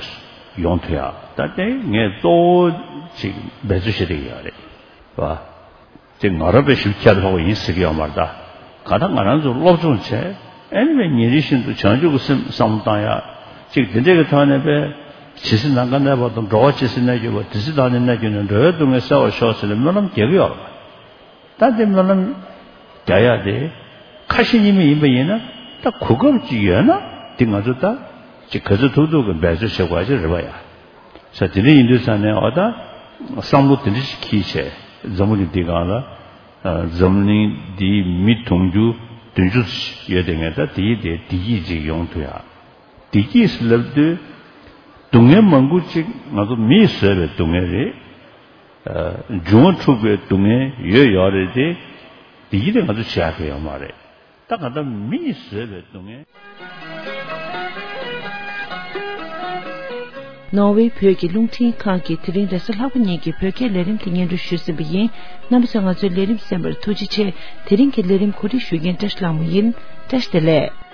ཡོང་ཐུབ་ཡ། ད་དེ་ངས་གཙོ་བོ་ཅིག་འབད་རྩོལ་བྱེད་བསྡད་ཀྱི་ཡོད་རེད་བ། དེ་ང་རང་པའི་ཞིབ་ཁྱད་ལྷག་པ་ཡིན་ཟེར་གྱི་ཡོད་མ་རེད་ད། གང་ལྟར་ང་རང་ཚོ་སློབ་སྦྱོང་བྱས། ཨེ་ནི་བས་ཉིན་རེ་བཞིན་དུ་བྱང་ཆུབ་ཀྱི་སེམས་བསམ་བློ་བཏང་ཡག་ཅིག་དེ་འདྲས་ཀྱི་ཐོག་ནས་པས། ཇི་སྲིད་ནམ་མཁའ་གནས་པ་དང་། འགྲོ་བ་ཇི་སྲིད་གནས་གྱུར་པ། དེ་སྲིད་བདག་ནི་གནས་གྱུར་ནས། འགྲོ་བའི་སྡུག་བསྔལ་སེལ་བར་ཤོག་ཟེར་ནས་སྨོན་ལམ་རྒྱག་གི་ཡོད་རེད། ད་དེ་སྨོན་ལམ་རྒྱག་ཡག་དེ་ཁ་ཞེ་གཉིས་མེད་ཡིན་པ་ཡིན་ན། ད་གོ་སྐབས་ཅིག་ཡོད་ན་དེ་ང་ཚོ་ད་ཅིག་ག་ཚོད་ཐུབ་ཐུབ་ཀྱིས་འབད་རྩོལ་བྱེད་དགོས་ཅིག་རེད་པ་ཡ། ས་དེ་འདྲ་ཡིན་དུས་ས་ནས་འོ་ད་བསམ་བློ་དེ་འདྲ་ཞིག་འཁྱེར་བྱས། འཛམ་བུ་གླིང་འདི་སྒང་ལ་འཛམ་གླིང་འདིའི་མི་དུང་ཕྱུར་བདུན་ཅུ་ཡོད་དེ། ངས་ད་དེའི་དེ་བདེ་སྐྱིད་ཅིག་ཡོང་ཐུབ་ཡ། བདེ་སྐྱིད་ཟེར་ལབ་དུས་སྡུག་བསྔལ་མང་པོ་ཅིག་ང་ཚོ་མིས་བཟོས་པའི་སྡུག་བསྔལ་རེད། འབྱུང་བ་འཁྲུགས་པའི་སྡུག་བསྔལ་ཡོད་ཡོད་རེད་དེ། དེ་ཡིན་དེ་ང་ཚོ་བྱ་གི་ཡོད་མ་རེད། ད་ག་ད་མི་ཡིས་བཟོས་པའི་སྡུག་བསྔལ། ནོར་ཝེ་བོད་ཀྱི་རླུང་འཕྲིན་ཁང་གིས་དེ་རིང་རེས་གཟའ་ལྷག་པ་ཉིན་གྱི་བོད་སྐད་ལས་རིམ་དེ་སྙན་སྒྲོན་ཞུས་ཟིན་པ་ཡིན། རྣམ་པ་ཚོས་ང་ཚོའི་ལས་རིམ་གསན་པར་ཐུགས་རྗེ་ཆེ། དེ་རིང་གི་ལས་རིམ་གོ་སྒྲིག་ཞུ་མཁན་བཀྲ་ཤིས་ལྷ་མོ་ཡིན། བཀྲ་ཤིས་བདེ་ལེགས།